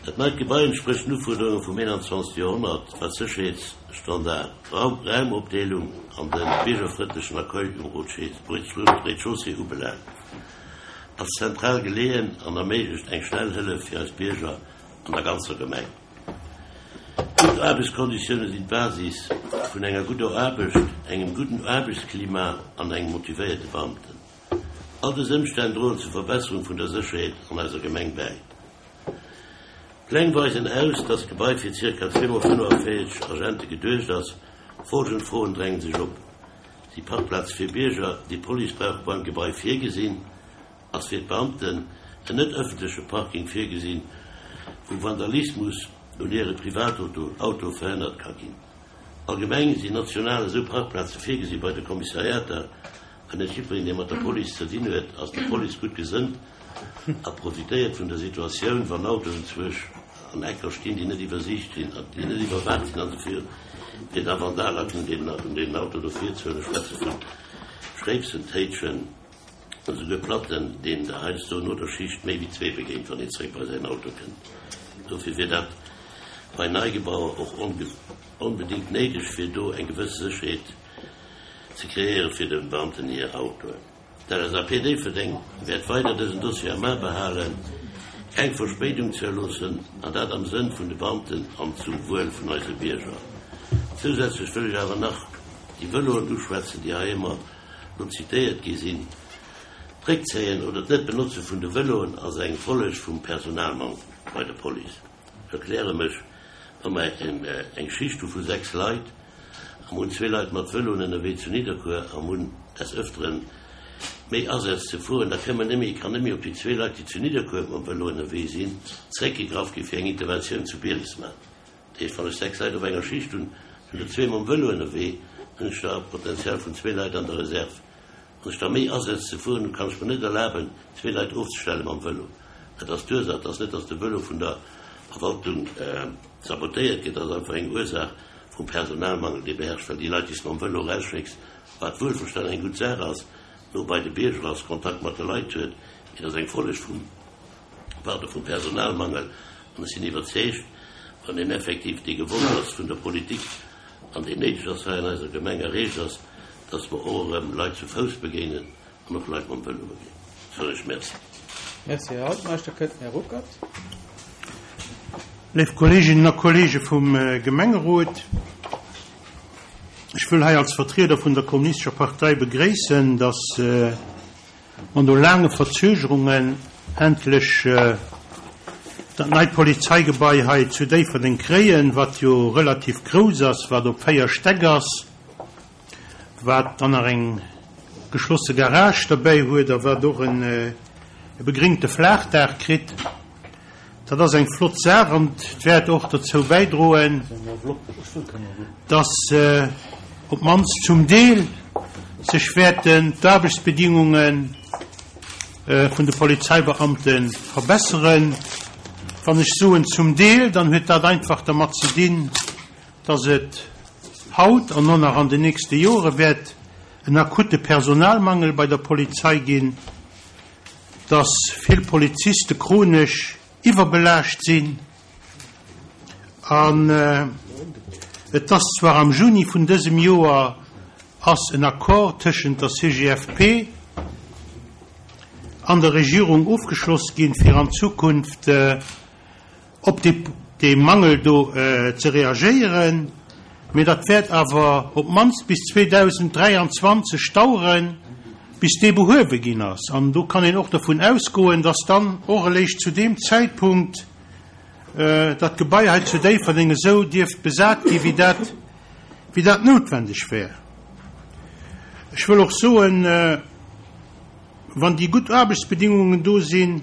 Dat neit Gebai entsprécht den Ufuerderunge vum 21. Joerhonnert, wat Sécherheetsstandard, Raumopdeelung an de biergerfrëndlechen Accueil um Rez-de-chaussée ubelaangt, ass zentral geleeën an erméiglecht eng schnell Hëllef fir eis Bierger an der ganzer Gemeng. Gutt Aarbechtskonditioune sinn d'Basis vun enger gudder Aarbecht, engem gudden Aarbechtsklima an engem motivéierte Beamten. All dës Ëmstänn droen zur Verbesserung vun der Sécherheet an eiser Gemeng bäi. D'Pläng weisen aus, dass d'Gebai fir zirka 245 Agente geduecht ass. Folgend Froen drängen sech op, Si Parkplaze fir Bierger, déi d'Police brauch, beim Gebai virgesinn? Ass fir d'Beamten en net ëffentleche Parking virgesinn, wou Vandalismus un hire Privatautoe verhënnert ka ginn? Allgemeng sinn national esou Parkplaze virgesi bei de Kommissariater? An net jiddwereen, dee mat der Police ze dinn huet, ass der Police gutt gesënnt a profitéiert vun der Situatioun, wann Autoen zwësch an Ecker stinn, déi net iwwersiicht sinn an déi net iwwerwaacht sinn an se fir. Fir da Vandalakten un deenen Auto do virzehuelen. Ech schwätze vu Schréipsen, Téitschen an esouguer Platten, deenen der heiansdo no der Schicht méi wéi zwee begéint, wann een zeréck bei säin Auto kënnt. Dofir wier dat bei Neigebauer och onbedéngt néideg, fir do eng gewësse Sécherheet ze kreéiere fir de Beamten hir Autoen. D'LSAP Déifferdeng wäert weider dësen Dossier am A behalen, keng Verspéidung zouloossen, an dat am Sënn vun de Beamten an zum Wuel vun eise Bierger. Zousätzlech wëll ech awer nach déi Vëloen uschwätzen, déi hei ëmmer lo zitéiert gi sinn. D'Réckzéien oder d'Net-Benotze vun de Vëloen ass eng Folleg vum Personalmank bei der Police. Ech erkläre mech, Wa mer eng Schicht hu vu 6 Leit a mer hunn zwee Leit mat Vëloen ënnerwee zu Nidderkuer a mer hunn des Ëfteren méi Asätz ze fueren, da kënne mer net méi, kann net méi op déi zwee Leit, déi zu Nidderkuer mam Vëlo ënnerwee sinn, zréckgegraff gi fir eng Interventioun zu Bieles ze maachen. Dat heescht, wann ech 6 Leit op enger Schicht hunn, sinn der zwee mam Vëlo ënnerwee, dann hunn ech da e Potenzial vun zwee Leit an der Reserve. Wann ech da méi Asätz ze fueren hunn, kann ech mer net erlaben, zwee Leit ofzestelle mam Vëlo. Dat ass d'Ursaach. Et ass net, datt de Vëlo vun der Verwaltung sabotéiert gëtt. Dat ass einfach eng Ursaach vum Personalmangel, dee beherrscht, well déi Leit, déi s de mam Vëlo erausschécks, wat wuelverstanen eng gutt Saach ass, no bei de Bierger ass, Kontakt mat de Leit huet, mee dat ass eng Folleg vum, pardon, vum Personalmangel. An ech sinn iwwerzeegt, wann een effektiv dee gewollt ass vun der Politik an deen néideg ass hei an eiser Gemeng erreecht ass, dass mer och erëm Leit zu Fouss begéinen an och Leit mam Vëlo begéinen. Soen ech Merci. Merci, Här Altmeisch. Da kënnt den Här Ruckert. Léif Kolleeginnen a Kolleege vum Gemengerot, ech wëll hei als Vertrieder vun der Kommunistescher Partei begréissen, dass mer no laange Verzögerungen endlech dat neit Polizeigebai hei zu Déifferdeng kréien, wat jo relativ grouss ass, wat op 4 Stäck ass. wat dann nach eng geschlosse Garage derbäi huet a wat och e begringte Flaachdaach kritt. Dat ass eng flott Saach an et wäert och dozou bäidroen, dass op d'mannst zum Deel sech wäerten d'Aarbechtsbedingunge vun de Polizeibeamte verbesseren. Wann ech soen zum Deel, dann huet dat einfach dermat ze dinn, dass et haut an och nach an den nächste Jore wäert en akute Personalmangel bei der Polizei ginn, dass vill Poliziste chronesch iwwerbelaascht sinn. An et ass zwar am Juni vun dësem Joer ass en Accord tëschent der CGFP an der Regierung ofgeschloss ginn, fir an Zukunft op dee Mangel do ze reagéieren, mee dat wäert awer op d'mannst bis 2023 daueren, bis dee behuewe ginn ass. An do kann een och dovun ausgoen, dass dann och eréischt zu deem Zäitpunkt dat Gebai hei zu Déifferdeng esou dierft besat gi wéi dat, wéi dat noutwendeg wär. Ech wëll och soen, wann déi gutt Aarbechtsbedingungen do sinn,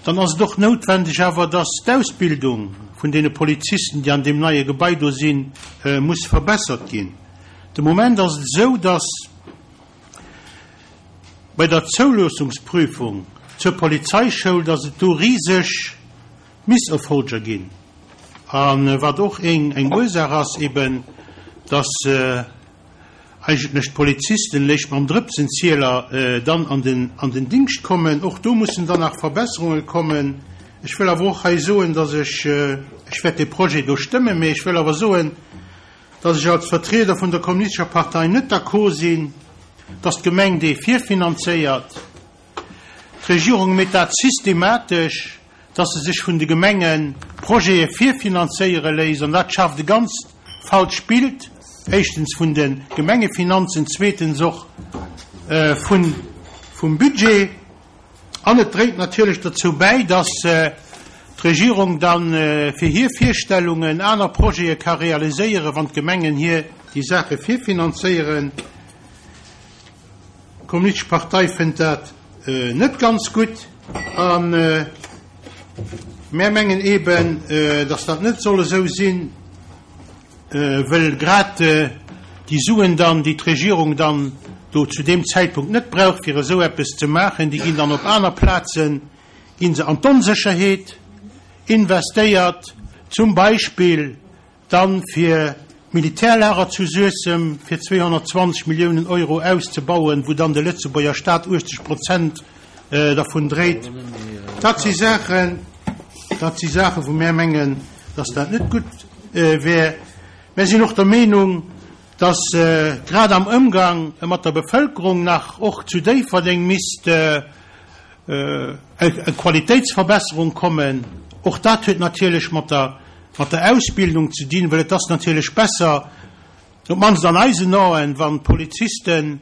Dann ass et och noutwendeg awer, dass d'Ausbildung vun deene Polizisten, déi an deem neie Gebai do sinn, muss verbessert ginn. De Moment ass et esou, dass bei der Zouloossungsprüfung zur Polizeischoul, dass et do riseg Misserfolger ginn. A wat och eng Ursaach ass eben, dass eigentlech d'Polizisten léischt mam Drëpsenzieler dann an den an den Dingscht kommen. Och do mussen dann nach Verbesserunge kommen. Ech wëll awer och hei soen, dass ech, ech wäert dee Projet do stëmmen, mä ech wëll awer soen, dass ech als Vertrieder vun der Kommunistescher Partei net d'accord sinn, dass d'Gemeng dee virfinanzéiert. D'Regierung métt dat systematesch, dass se sech vun de Gemenge Projete virfinanzéiere léisst, an dat schaaft e ganzt falscht Bild, éischtens vun de Gemengefinanzen, zweetens och vum Budget. An et dréit natierlech dozou bäi, dass d'Regierung da fir hir Virstellungen aner Projete ka realiséieren, wann d'Gemengen hir déi Saache virfinanzéieren. D'Kommunistesch Partei fënnt dat net ganz gutt a mär mengen eeben, datt dat net soll esou sinn, wëll grad déi Suen dann, déi d'Regierung dann do zu deem Zäitpunkt net brauch, fir esou eppes ze maachen, déi ginn dann op aner Plazen, gi se an d'Onsécherheet investéiert, zum Beispill dann fir. d'Militärlager zu Suessem fir 220 Milliounen Euro auszebauen, wou dann de Lëtzebuerger Staat 80 Prozent dervun dréit. Dat si Saachen, dat si Saachen, wou mär mengen, dass dat net gutt wär. Mär sinn och der Meenung, dass grad am Ëmgang mat der Bevëlkerung nach och zu Déifferdeng misst eng Qualitéitsverbesserung kommen. Och dat huet natierlech mat der mat der Ausbildung ze dinn, well et ass natierlech besser, op d'mannst an eisen Aen, wann d'Polizisten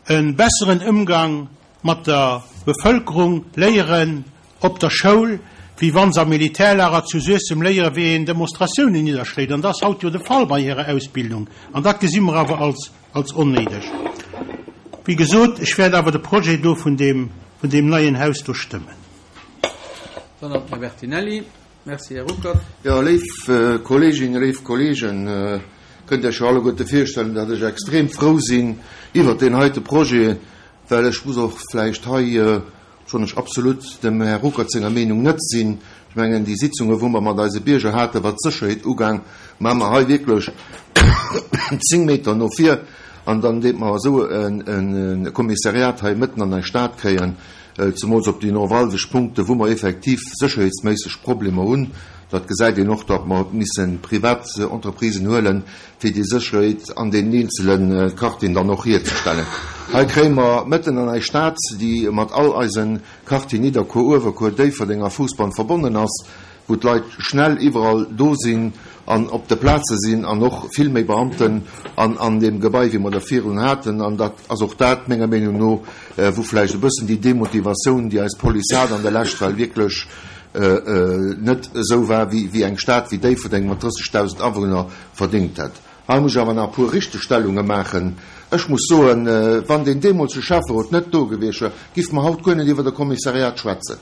e besseren Ëmgang mat der Bevëlkerung léieren op der Schoul, wéi wa se am Militärlager zu Suessem léieren, wéi een Demonstratiounen nidderschléit. An dat ass haut jo de Fall bei hirer Ausbildung. An dat gesi mer awer als als onnéideg. Wéi gesot, ech wäert awer de Projet do vun deem, vun deem neien Haus do stëmmen. Dann nach den Här Bertinelli. Merci, Här Ruckert. Jo, léif Kolleeginnen, léif Kolleegen, kënnt Iech jo alleguerte virstellen, datt ech extrem frou sinn iwwert deen heite Projet, well ech muss och vläicht hei Obschonn ech absolut dem Här Ruckert senger Meenung net sinn. Ech mengen, déi Sitzungen, wou mer mat eise Bierger haten, wat d'Sécherheet ugaang, maa mer hei wierklech 10 Meter no vir. An dann deet mer esou e Kommissariat hei mëtten an eis Stad kréien, zemools op déi neuralgesch Punkte, wou mer effektiv sécherheetsméisseg Problemer hunn. Dat gesäit een och, datt mer misse privat Entreprisen huelen, fir déi Sécherheet an deenen eenzele Quartieren dann och hierzestellen. Hei kréie mer mëtten an eis Stad, déi mat all eise Quartieren, Nidderkuer, Uewerkuer, Déifferdeng a Fousbann verbonnen ass, wou d'Leit schnell iwwerall do sinn an op de Plaze sinn an och vill méi Beamten an an deem Gebai, wéi mer der virun haten. An dat ass och dat, menger Meenung no, wou vläicht e bëssen déi Demotivatioun, déi eis Police hat an der Lescht, well wierklech net esou war, wéi eng Stad wéi Déifferdeng mat 30.000 Awunner verdéngt hätt. Hei muss ech awer nach e puer Richtegstellunge maachen. Ech muss soen, wann deen deemolsege Schäfferot net do gewiescht wär, giffe mer haut guer net iwwert e Kommissariat schwätzen,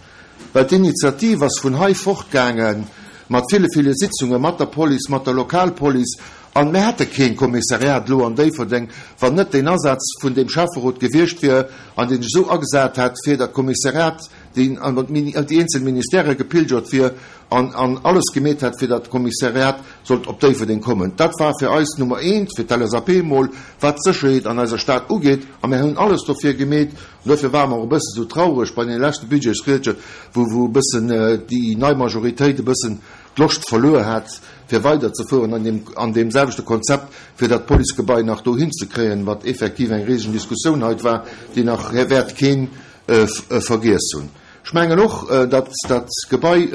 well d'Initiativ ass vun hei fortgaange mat ville, ville Sitzunge mat der Police, mat der Lokalpolice, an mir hätte kee Kommissariat elo an Déifferdeng, wann net deen Asaz vun deem Schäfferot gewiescht wier an deen sech esou agesat hätt, fir dat Kommissariat, deen an déi eenzel Ministèrë gepilgert wier an an alles gemeet hätt, fir datt d'Kommissariat sollt op Déifferdeng kommen. Dat war fir eis Nummer eent, fir d'LSAP emol, wat d'Sécherheet an eiser Stad ugeet. A mir hunn alles dofir gemeet. An dofir ware mer och e bësse sou traureg bei deene leschte Budgetsriedche, wou wou e bëssen déi nei Majoritéit e bëssen d'Loscht verluer hat, fir weiderzefueren an deem an deem selwechte Konzept, fir dat Policegebai nach dohin ze kréien, wat effektiv eng risegen Diskussioun hei war, déi nach wäert keen vergiess hunn. Ech mengen och, datt dat Gebai,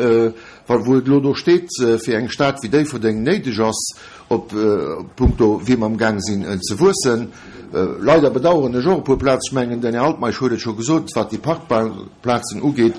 wou et elo do steet, fir eng Stad wéi Déifferdeng néideg ass, op punkto wéi mer amgaang sinn ze wuessen. Leider bedauern ech och e puer Plazen, ech mengen, den Här Altmeisch huet et scho gesot, wat déi Parkplazen ugeet,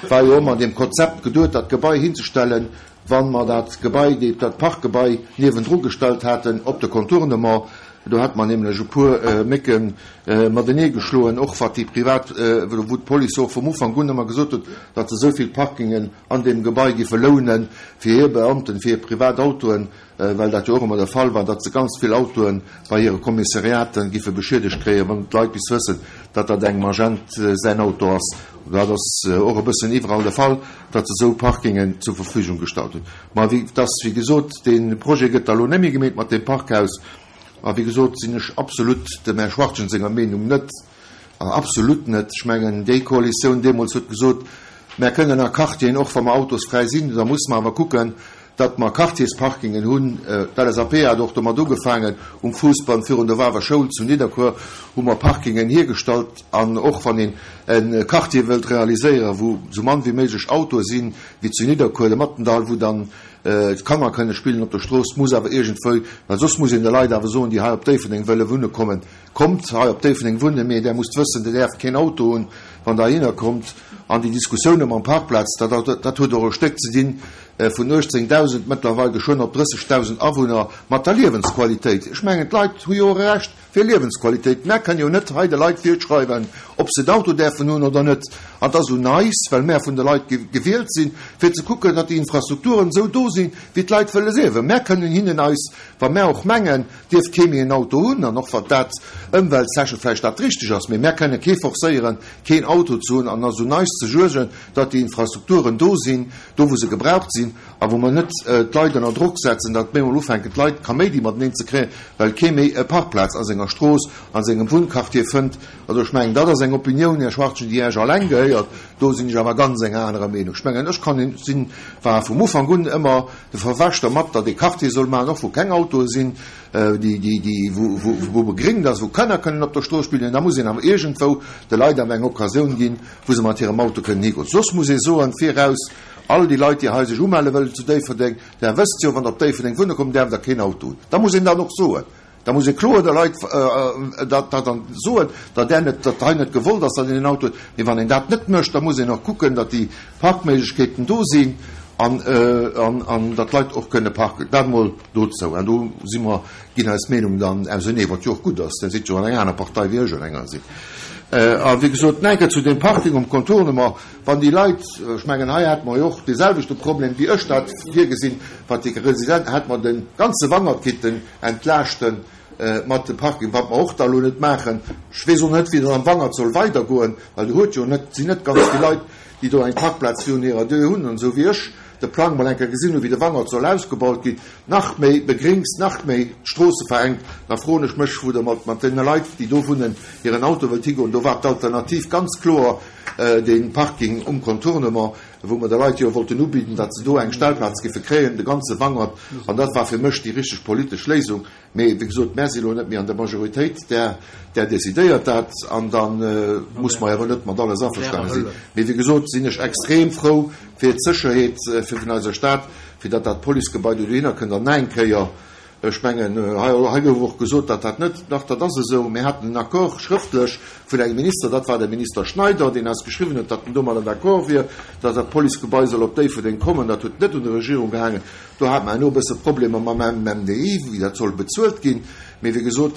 war jo ëmmer an deem Konzept geduet, dat Gebai hinzestellen, Wa mer dat Gebai, dat Parkgebai niewendru gestallt haten op de Contournement, do hätte mer nämlech e puer Mécke matenee geschloen, och wat déi privat, wou d'Police och vum Ufank un ëmmer gesot huet, datt se esou vill Parkingen an deem Gebai giffe lounen fir hir Beamten, fir hir privat Autoen, well dat jo och ëmmer de Fall war, datt se ganz vill Autoe bei hire Kommissariaten giffe beschiedegt kréien, wann d'Leit bis wëssen, datt dat engem Agent säin Auto ass. Dat ass och e bëssen iwwerall de Fall, datt se esou Parkingen zur Verfügung gestallt hunn. Ma wéi dass, wéi gesot, dee Projet gëtt da lo net méi gemeet mat deem Parkhaus. A wéi gesot sinn ech absolut dem Här Schwachtgen senger Meenung net, absolut net. Ech mengen, déi Koalitioun deemools huet gesot, Mär kënnen a Quartieren, och wa mer autosfräi sinn, da musse mer awer kucken, datt mer Quartiersparkingen hunn. D'LSAP hat och domat ugefaangen, um Fuussbann virun der Wawer Schoul zu Nidderkuer hu mer Parkingen hiergestallt. An och wann een e Quartier wëllt realiséieren, wou esou mann wéi méiglech Autoe sinn, wéi zu Nidderkuer, de Mattendall, wou dann d'Kanner kënne spillen op der Strooss, muss awer iergendwou, well soss muss een de Leit awer soen, déi hei op Déifferdeng wëlle wunne kommen, Kommt hei op Déifferdeng wunnen, mee där musst wëssen, Dir däerft keen Auto hunn, wann Der heihinner kommt. An déi Diskussioune mam Parkplaz, dat, dat huet och e Stéck ze dinn, vun 18.000 mëttlerweil geschwënn op 30.000 Awunner, mat der Liewensqualitéit. Ech mengen, d'Leit hu jo och e Recht fir Liewensqualitéit. Mär kënnen jo net hei de Leit virschreiwen, ob. ob se en Auto däerfen hunn oder net. An et ass un eis, well mär vun de Leit gewielt sinn, fir ze kucken, datt déi Infrastrukturen esou do sinn, wéi d'Leit wëlle liewen. Mär kënnen hinnen eis, wa mär och mengen, dierf kee méi en Auto hunn, an och wa dat ëmwelttechnesch vläicht dat richteg ass, mee mär kënnen kee forcéieren, keen Auto ze hunn. An et ass un eis ze suergen, datt déi Infrastrukturen do sinn, do wou se gebraucht sinn, a wou mer net d'Leit ënner Drock setzen, datt bemol ufänken d'Leit Kaméidi mateneen ze kréien, well kee méi e Parkplaz a senger Strooss, a sengem Wunnquartier fënnt. Also ech mengen, dat ass eng Opinioun, Här Schwachtgen, déi Iech alleng gehéiert. Do sinn ech awer ganz enger anerer Meenung. Ech mengen, ech kann, sinn, war vum Ufank un ëmmer de Verfechter mat, datt ee Quartier soll maachen, och wou keng Autoe sinn, déi, déi, déi, wou, wou, wou begréngt ass, wou Kanner kënnen op der Strooss spillen. Da muss een awer iergendwou de Leit awer eng Occasioun ginn, wou se mat hirem Auto kënnen higoen. Soss muss ee soen, viraus, all déi Leit, déi hei sech umelle wëllen zu Déifferdeng, Der wësst jo, wann Der op Déifferdeng wunne kommt, däerft Der keen Auto hunn. Da muss een dat och soen. Da muss ee kloer de Leit dat dann soen, datt där net, datt hei net gewollt ass, datt een en Auto huet. Mee wann een dat net mécht, da muss een och kucken, datt déi Parkméiglechkeeten do sinn an, an datt d'Leit och kënne parken. Dat emol dozou. An do si mer, ginn eis Meenungen dann ausenee, wat jo och gutt ass. Der sidd jo an enger aner Partei wéi ech an enger sinn. A wéi gesot, nach eng Kéier zu deem Parking um Contournement. Wann déi Leit, ech mengen, hei hate mer jo och deeselwechte Problem, wéi ech dat virgesinn, wat déi Residenten, hätte mer de ganze Wangert kitten entlaaschte mat dem Parking, wat mer och da elo net maachen. Ech weess och net, wéi dat am Wangert soll weidergoen, well do huet jo net, sinn net ganz vill Leit, déi do eng Parkplaz virun hirer Dier hunn. An esou wéi ech de Plang mol eng Kéier gesinn hunn, wéi de Wangert soll ausgebaut ginn, nach méi begréngt, nach méi d'Stroosse verengt, da froen ech mech, wou Der mat deene Leit, déi do wunnen, hiren Auto wëllt higoen. Do war d'Alternativ ganz kloer dee Parking um Contournement, wou mer de Leit jo wollten ubidden, datt se do eng Stellplaz giffe kréien, de ganze Wangert. An dat war fir mech déi richteg politesch Léisung. Mee, wéi gesot, mär si lo net méi an der Majoritéit, där, där decidéiert dat. An da muss mer awer net mat alles averstane sinn. Mee, wéi gesot, sinn ech extrem frou fir d'Sécherheet fir vun eiser Stad, fir datt dat Policegebai do dohinner kënnt. An nach eng Kéier, Ech mengen, hei gouf och gesot, datt dat net, dach, dat ass esou, mir haten en Accord schrëftlech vun engem Minister, dat war de Minister Schneider, deen eis geschriwwen huet, datt en domadder d'accord wier, datt dat Policegebai soll op Déifferdeng kommen. Dat huet net un der Regierung gehaangen. Do hate mer herno e bësse Problemer mam MDI, wéi dat soll bezuelt ginn. Mee wéi gesot,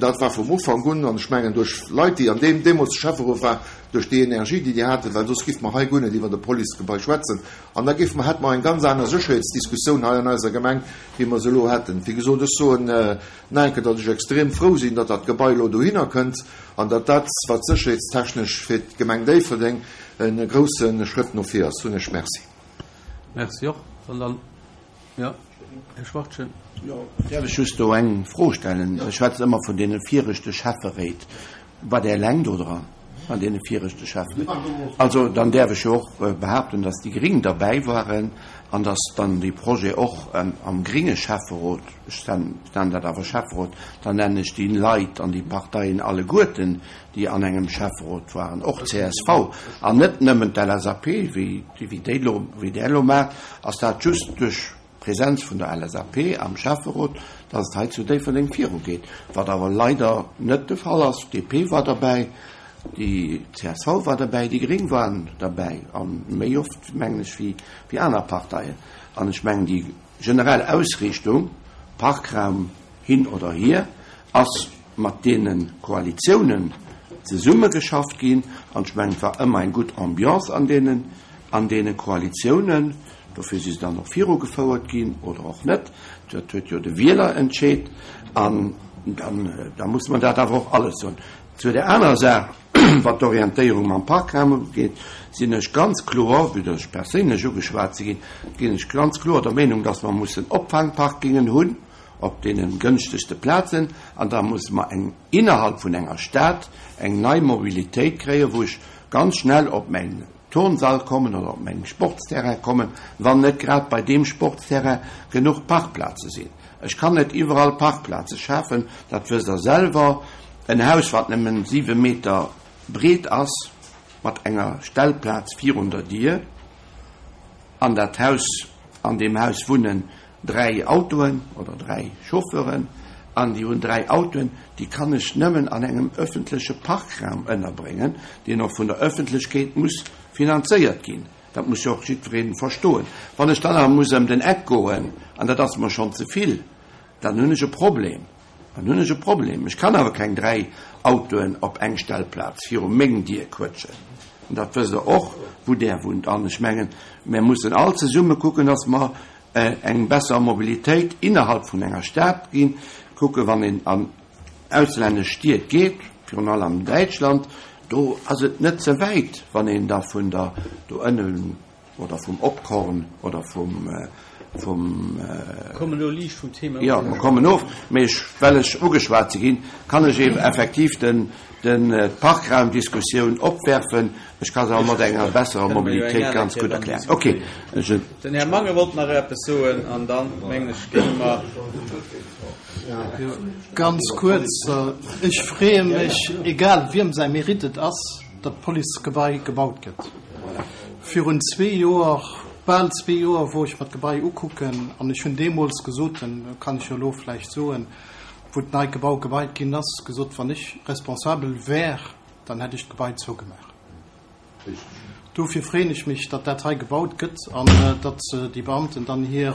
dat war vum Ufank un, an ech mengen duerch Leit, déi an deem deemools Schäfferot war, duerch déi Energie, déi déi haten, well soss géife mer hei guer net iwwert e Policegebai schwätzen, an da géife mer, hätte mer eng ganz aner Sécherheetsdiskussioun hei an eiser Gemeng, wéi mer se elo hätten. Wéi gesot, ech soen nach eng Kéier, datt ech extrem frou sinn, datt dat Gebai elo dohinner kënnt an datt dat, wat sécherheetstechnesch fir d'Gemeng Déifferdeng e grousse Schrëtt no vir ass. Hunn ech. Merci. Merci och. Wann dann, jo, Här Schwachtgen. Jo, däerf ech just do eng Fro stellen? Dir schwätzt ëmmer vun deene viregte Schäfferéit. War Der eleng do dran an deene viregte Schäfferéit? Also, dann däerf ech jo och behaapten, dass déi Gring derbäi waren an dass dann dee Projet och am gringe Schäfferot, ech nennen dat awer Schäfferot, dann nennen ech déi Leit an déi Parteien alleguerten, déi an engem Schäfferot waren, och csv an net nëmmen d'LSAP, wéi déi elo, wéi Der elo maacht, ass dat just duerch D'Präsenz vun der LSAP am Schäfferot, dass et hei zu Déifferdeng virugeet, wat awer leider net de Fall ass. D'DP war derbäi, déi csv war derbäi, déi Gréng waren derbäi, a méi oft, mengen ech, wéi aner Parteien. An ech mengen, déi generell Ausriichtung, Parkraum hin oder hier, ass mat deene Koalitiounen zesummegeschafft ginn. An ech mengen, et war ëmmer eng gutt Ambiance an deenen, an deene Koalitiounen. Dofir si se dann och virugefouert ginn oder och net. Dat huet jo de Wieler entscheet. An dann, da muss mer dat awer och alles soen. Zu där anerer Saach, wat d'Orientéierung mam Parkraum ugeet, sinn ech ganz kloer, vue dass ech perséinlech ugeschwat si ginn, ginn ech ganz kloer der Meenung, dass mer mussen Opfangparkingen hunn op deene gënschtegste Plazen. An da musse mer eng innerhalb vun enger Stad eng nei Mobilitéit kréien, wou ech ganz schnell op mäin Turnsall kommen oder op mengem Sportsterrain kommen, wann net grad bei deem Sportsterrain genuch Parkplaze sinn. Ech kann net iwwerall Parkplaze schafen, dat wësst Der selwer. En Haus, wat nëmmen siwe Meter breet ass, mat enger Stellplaz virun der Dier, an dat Haus, an deem Haus wunnen 3 Autoen oder 3 Chauffeuren an déi hunn 3 Autoen, déi kann ech nëmmen an engem öffentleche Parkraum ënnerbréngen, deen och vun der Öffentlechkeet muss finanzéiert ginn. Dat muss jo och jiddweree verstoen. Wann ech dann awer muss ëm den Eck goen, an dat ass mer schonn ze vill, dann hunn ech e Problem. Dann hunn ech e Problem. Ech kann awer keng 3 Autoen op eng Stellplaz viru meng Dier quëtschen. An dat wësst Der och, wou Der wunnt. An ech mengen, mir mussen all zesumme kucken, dass mer eng besser Mobilitéit innerhalb vun enger Stad ginn. Kucken, wann een an auslännesch Stied geet, virun allem Däitschland, do ass et net ze wäit, wann een da vun der do ënnen oder vum Opkorn oder vum, vum. Kommen elo liicht vum Thema of. Jo, mer kommen of, mee ech, well ech ugeschwat si ginn, kann ech eben effektiv den, den, d'Parkraumdiskussioun opwerfen. Ech ka se awer mat enger besserer Mobilitéit ganz gutt erklären. Okay, ech. Den Här Mangen wollt nach eppes soen an dann, mengen ech, géinge mer. Ganz kuerz, Ech freeë mech, egal wiem säi Mérite et ass, datt d'Policegebai gebaut gëtt. Virun zwee Joer, bal zwee Joer, wor ech mer d'Gebai ukucken an ech hunn deemools gesot, kann ech jo elo vläicht soen, wou d'neit Gebau geweit ginn ass, gesot, wann ech responsabel wär, dann hätt ech d'Gebai zougemaach. Dofir freeën ech mech, datt dat hei gebaut gëtt an datt déi Beamten dann hir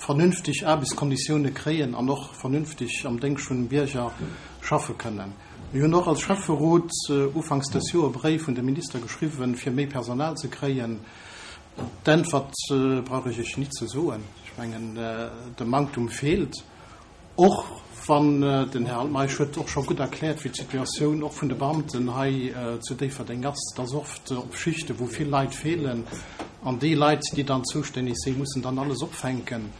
vernünfteg Aarbechtskonditioune kréien an och vernünfteg am Déngscht vun dem Bierger schaffe kënnen. Mir hunn och als Schäfferot ufanks dës Joer e Bréif un de Minister geschriwwen, fir méi Personal ze kréien. D'Äntwert brauch ech Iech nit ze soen. Ech mengen, de Manktum feelt. Och wann den Här Altmeisch huet och scho gutt erkläert, wéi d'Situatioun och vun de Beamten hei zu Déifferdeng ass. Et ass oft op Schichte wou vill Leit feelen an déi Leit, déi dann zoustänneg sinn, mussen dann alles opfänken.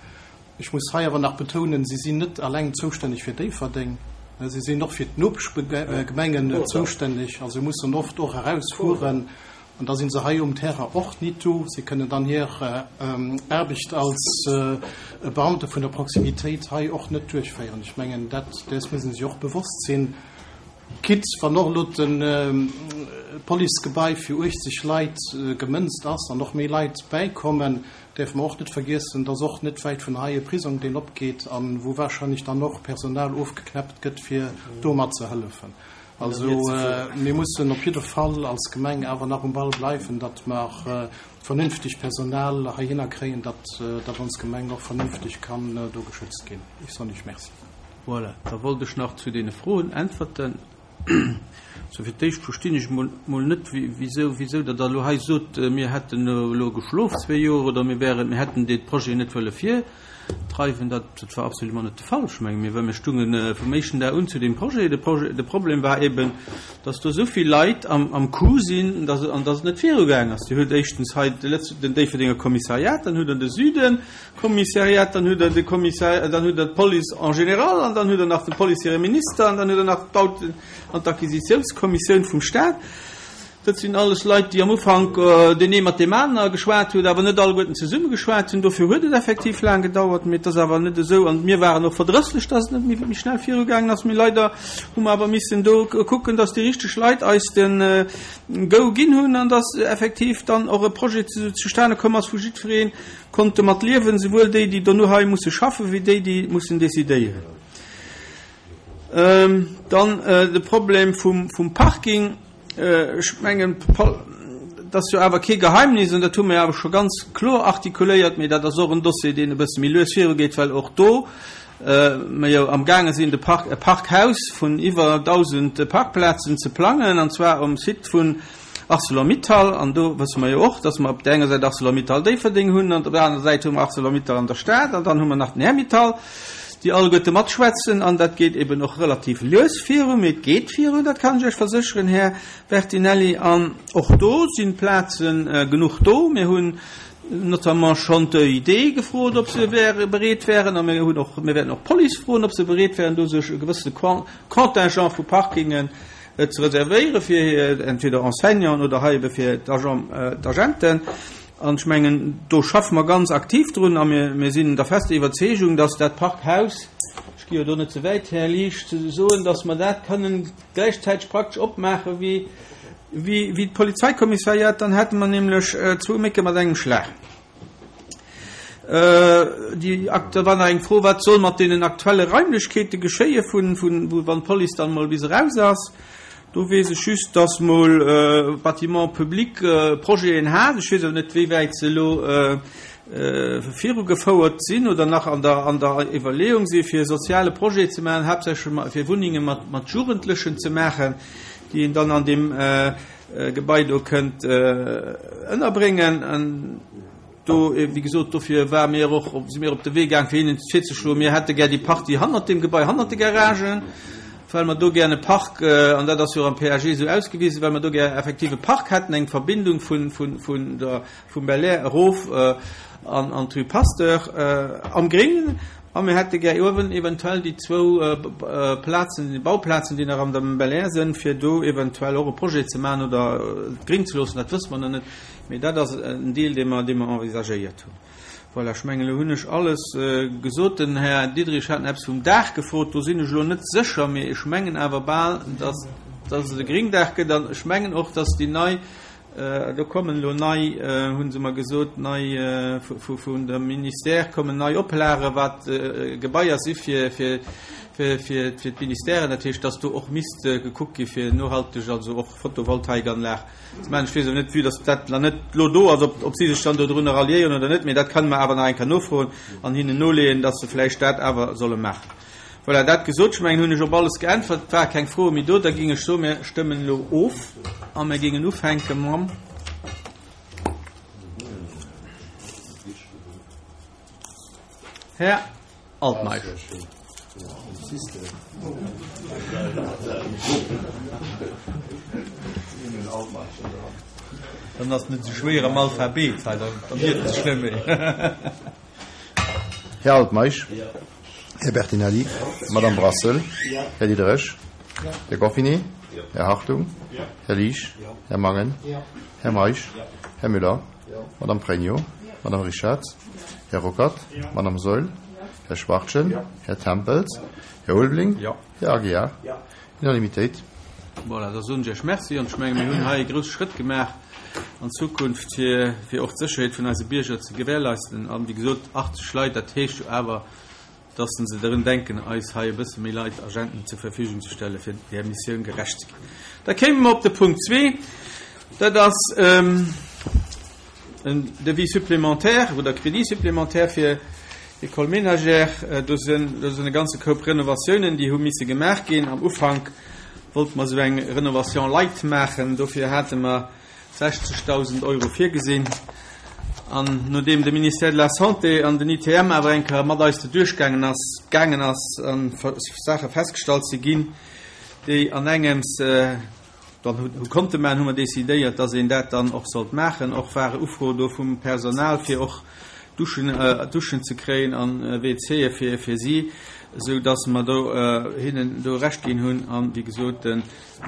Ech muss hei awer nach betounen, si sinn net alleng zoustänneg fir Déifferdeng, si sinn och fir d'Nopeschgemengen zoustänneg a se mussen oft och erausfueren. An da si se hei um Terrain och nit do. Si kënnen dann hir Aarbecht als Beamte vun der Proximitéit hei och net duerchféieren. Ech mengen, dat, däers musse sech och bewosst sinn. Quitte wann och elo d'Policegebai fir 80 Leit gemënzt ass an och méi Leit bäikommen, däerfe mer och net vergiessen, dass och net wäit vun hei e Prisong, deen opgeet a wou wahrscheinlech dann och Personal ofgeknäppt gëtt, fir do matzehëllefen. Also mir mussen op jidde Fall als Gemeng awer nach um Ball bleiwen, datt mer vernünfteg Personal heihinner kréien, datt datt ons Gemeng och vernünfteg kann do geschützt ginn. Ech soen Iech Merci. Voilà, da wollt ech nach zu deene Froen äntwerten. Sou, fir d'éischt verstinn ech mol mol net, wisou wisou Der da elo hei sot, mir hätten elo geschlof zwee Joer oder mir wären, mir hätten dee Projet net wëlle vir. Dreiwen, dat dat war absolument net de Fall. Ech menge mir, well mir stungen vum éischten Dag un zu deem Projet. De Projet, de Problem war eben, datt do esou vill Leit am am Coup sinn, datt an datt et net virugaang ass. Dir hutt éischtens hei de Lëtz den Déifferdenger Kommissariat, dann hutt Der de Süden Kommissariat, dann hutt Der de Kommissar dann hutt Der d'Police en général an dann hutt Der nach dem Police hire Minister an dann hutt Der nach d'Bauten an d'Acquisitiounskommissioun vum Stat. Dat sinn alles Leit, déi am Ufank deen ee mat deem aner geschwat huet, awer net alleguerten zesumme geschwat hunn. Dofir huet et effektiv laang gedauert. Mee et ass awer net esou, an mir waren och verdrësslech, dass et net méi schnell virugaangen ass. Mee leider hu mer awer missen do kucken, dass déi richteg Leit eis de Go ginn hunn an dass effektiv dann och e Projet zustane komm ass, wou jiddweree konnt domat liewen, souwuel déi, déi dono hei musse schaffen, wéi déi, déi mussen decidéieren. Dann de Problem vum Parking. Ech mengen, dat ass jo awer kee Geheimnis, an dat hu mir awer scho ganz kloer artikuléiert, mee dat ass och en Dossier, deen e bësse méi lues virugeet, well och do mer jo amgaange sinn, de Park, e Parkhaus vun iwwer 1.000 Parkplazen ze plangen, an zwar um Site vun Arcelor-Mittal. An do wësse mer jo och, dass mer op där enger Säit Arcelor-Mittal Déifferdeng hunn an op der anerer Säit hu mer Arcelor-Mittal an der Stad an dann hu mer nach den Här Mittal. déi alleguerte matschwätzen, an dat geet eben och relativ lues viru, mee et geet virun, dat kann ech Iech versécheren, Här Bertinelli. An och do sinn d'Plaze genuch do. Mir hunn notamment schonn d'EID gefrot, ob se wäre bereet wären, a mir hunn och, mir wäerten och d'Police froen, ob se bereet wären, do sech e gewëssene Contingent vu Parkingen ze reservéiere fir hir entweder Enseignanten oder hei ebe fir d'Agenten. An ech mengen, do schaffe mer ganz aktiv drun a mir sinn der fester Iwwerzeegung, dass dat Parkhaus, ech gi jo do net ze wäit, Här Liesch, ze soen, dass mer dat kënnen gläichzäiteg praktesch opmaache wéi d'Polizeikommissariat. Dann hätte mer nämlech zwou Mécke mat engem Schlag. Déi, da war nach eng Fro, Wat soll mat deenen aktuelle Raimlechkeete geschéie vun, wann d'Police dann emol bis eraus ass? Do weess ech just, dass mol Bâtiments publics Projeten hat. Ech weess awer net, wéi wäit se elo. virugefouert sinn oder nach an der, an der Iwwerleeung si fir e soziale Projet ze maachen, haaptsächlech fir Wunnenge mat, mat Jugendlechen ze maachen, déi een dann an deem Gebai do kënnt ënnerbréngen. An do, wéi gesot, dofir ware mir och, si mir op de Wee gaang fir hinnen virzeschloen, mir hätte gär déi Partie hannert deem Gebai, hannert de Garagen, well mer do gär e Park, an dat ass jo och am PAG esou ausgewisen, well mer do gär effektiv e Park hätten, eng Verbindung vun, vun, vun der, vum Belair erof an d'Rue Pasteur am Gréngen. A mir hätte gär uewen eventuell déi zwou Plazen, déi Bauplazen, déi nach an dem Belair sinn, fir do eventuell och e Projet ze maachen oder et gréng ze loossen, dat wësse mer nach net. Mee dat ass en Deel, dee mer, dee mer envisagéiert hunn. Voilà, ech mengen, elo hunn ech alles gesot. Den Här Diderich hat nach eppes vum Daach gefrot. Do sinn ech elo net sécher, mee ech mengen awer bal, dass, dass et e Gringdaach gëtt. An ech mengen och, dass déi nei, do kommen elo nei, hu se mer gesot, nei vun dem Ministère kommen nei Oplagen, wat Gebaier si fir, fir, fir, fir d'Ministèren. Dat heescht, dass do och misst gekuckt gi fir nohalteg, also och Photovoltaikanlag ze maachen. Ech weess awer net, vue dass dat nach net elo do ass, ob, ob si sech dann dodrunner ralliéieren oder net, mee dat kënne mer awer nach eng Kéier nofroen an hinnen noleeën, dass se vläicht dat awer solle maachen. Voilà, dat gesot, ech mengen, hunn ech op alles geäntwert. Et ware keng Froe méi do. Da géing ech soen, mir stëmmen elo of a mir géingen ufänke mam. Här Altmeisch. Dann ass net esou schwéier am Alphabet hei, dann iert et sech net méi. Här Altmeisch. Här Bertinelli, Madame Brassel, Här Diderich, Här Goffinet, Här Hartung, Här Liesch, Här Mangen, Här Meisch, Här Müller, Madame Pregno, Madame Richarz, Här Ruckert, Madame Saeul, Här Schwachtgen, Här Tempels, Här Ulveling, Här Aguiar. Unanimitéit. Voilà, da soen ech Iech Merci an ech menge mir hunn hei e grousse Schrëtt gemaach an Zukunft, fir, fir och d'Sécherheet vun eise Bierger ze gewährleisten. An, wéi gesot, 80 Leit, dat heescht jo awer, dass se drun denken, eis hei e bësse méi Leit, Agenten zur Verfügung ze stellen, fir där Missioun gerecht ze ginn. Da kéime mer op de Punkt zwee, dat ass en Devis supplémentaire oder Crédit supplémentaire fir d'École ménagère. Do sinn, do sinn e ganze Koup Renovatiounen, déi hu misse gemaach ginn. Am Ufank wollte mer esou eng Renovation light maachen, dofir hate mer 60.000 Euro virgesinn. An nodeem de Ministère de la Santé an den ITM awer eng Kéier mat eis do duerchgaangen ass, gaangen ass a Saache festgestallt si ginn, déi an engems dann hu konnte maachen, hu mer decidéiert, dass een dat dann och sollt maachen. Och ware Ufro do vum Personal, fir och Duschen, Duschen ze kréien an WCe fir, fir si, esou dass mer do hinnen do Recht ginn hunn. An, wéi gesot,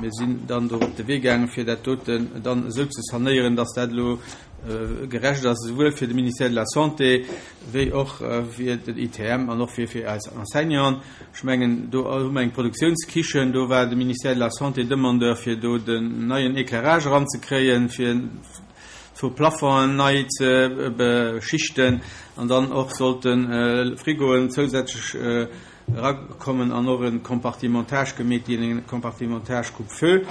Mir sinn dann do op de Wee gaangen, fir dat doten dann esou ze sanéieren, dass dat elo gerecht ass, esouwuel fir de Ministère de la Santé wéi och fir den ITM an och fir fir eis Enseignanten. Ech mengen, do hu mer eng Produktiounskichen, do war de Ministère de la Santé Demandeur, fir do den neien Éclairage eranzekréien, fir zwou Plafongen nei ze beschichten an dann och sollte Frigoen zousätzlech Erakommen an och e Compartimentage gemeet ginn, e Compartimentage coupe-feu.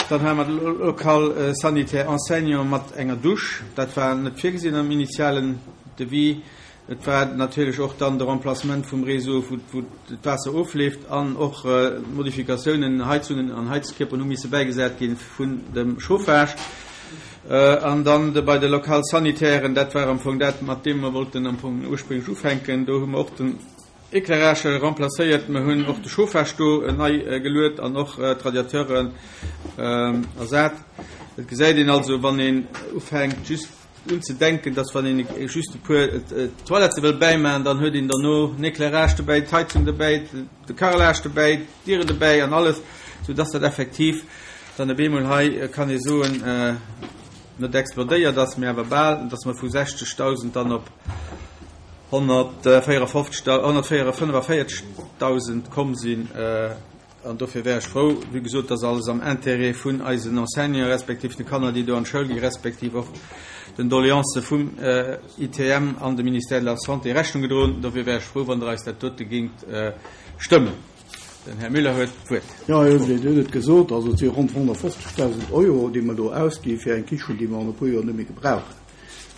Dann hate mer de Local sanitaire enseignant mat enger Dusch. Dat war net virgesinn am initialen Devis. Et war natierlech och dann de Remplacement vum Réseau, wou d'Waasser ofleeft, an och Modifikatiounen, Heizungen an Heizkierperen hu misse bäigesat gi vun dem Chauffage. An dann bei de Local-sanitairen, dat war am Fong dat, mat deem mer wollten am Fong ursprünglech ufänken. Do hu mer och den. Éclairage remplacéiert, mer hunn och de Chauffage do nei geluet an och d'Radiateuren ersat. Et gesäit een also, wann een ufänkt just un ze denken, dass wann een just e puer Toilettë wëll bäimaachen, dann huet een derno den Éclairage dobäi, d'Heizung dobäi, de Carrelage dobäi, d'Dieren dobäi an alles, sou dass dat effektiv dann op eemol hei, kann ee soen, net explodéiert ass, mee awer bal, dass mer vu 60.000 dann op 145.000 komm sinn. An dofir wär ech frou, wéi gesot, dass alles am Intérêt vun eisen Enseignanten respektiv de Kanner, déi do an d'Schoul gi respektiv och den Doleancë vum ITM an dem Ministère de la Santé Rechnung gedroen. Dofir wär ech frou, wann Der eis dat dote géingt stëmmen. Den Här Müller huet d'Wuert. Jo, Här Ulveling, Dir hutt et gesot, also et si ronn 150.000 Euro, déi mer do ausgi fir eng Kichen, déi mer an e puer Joer net méi gebrauchen.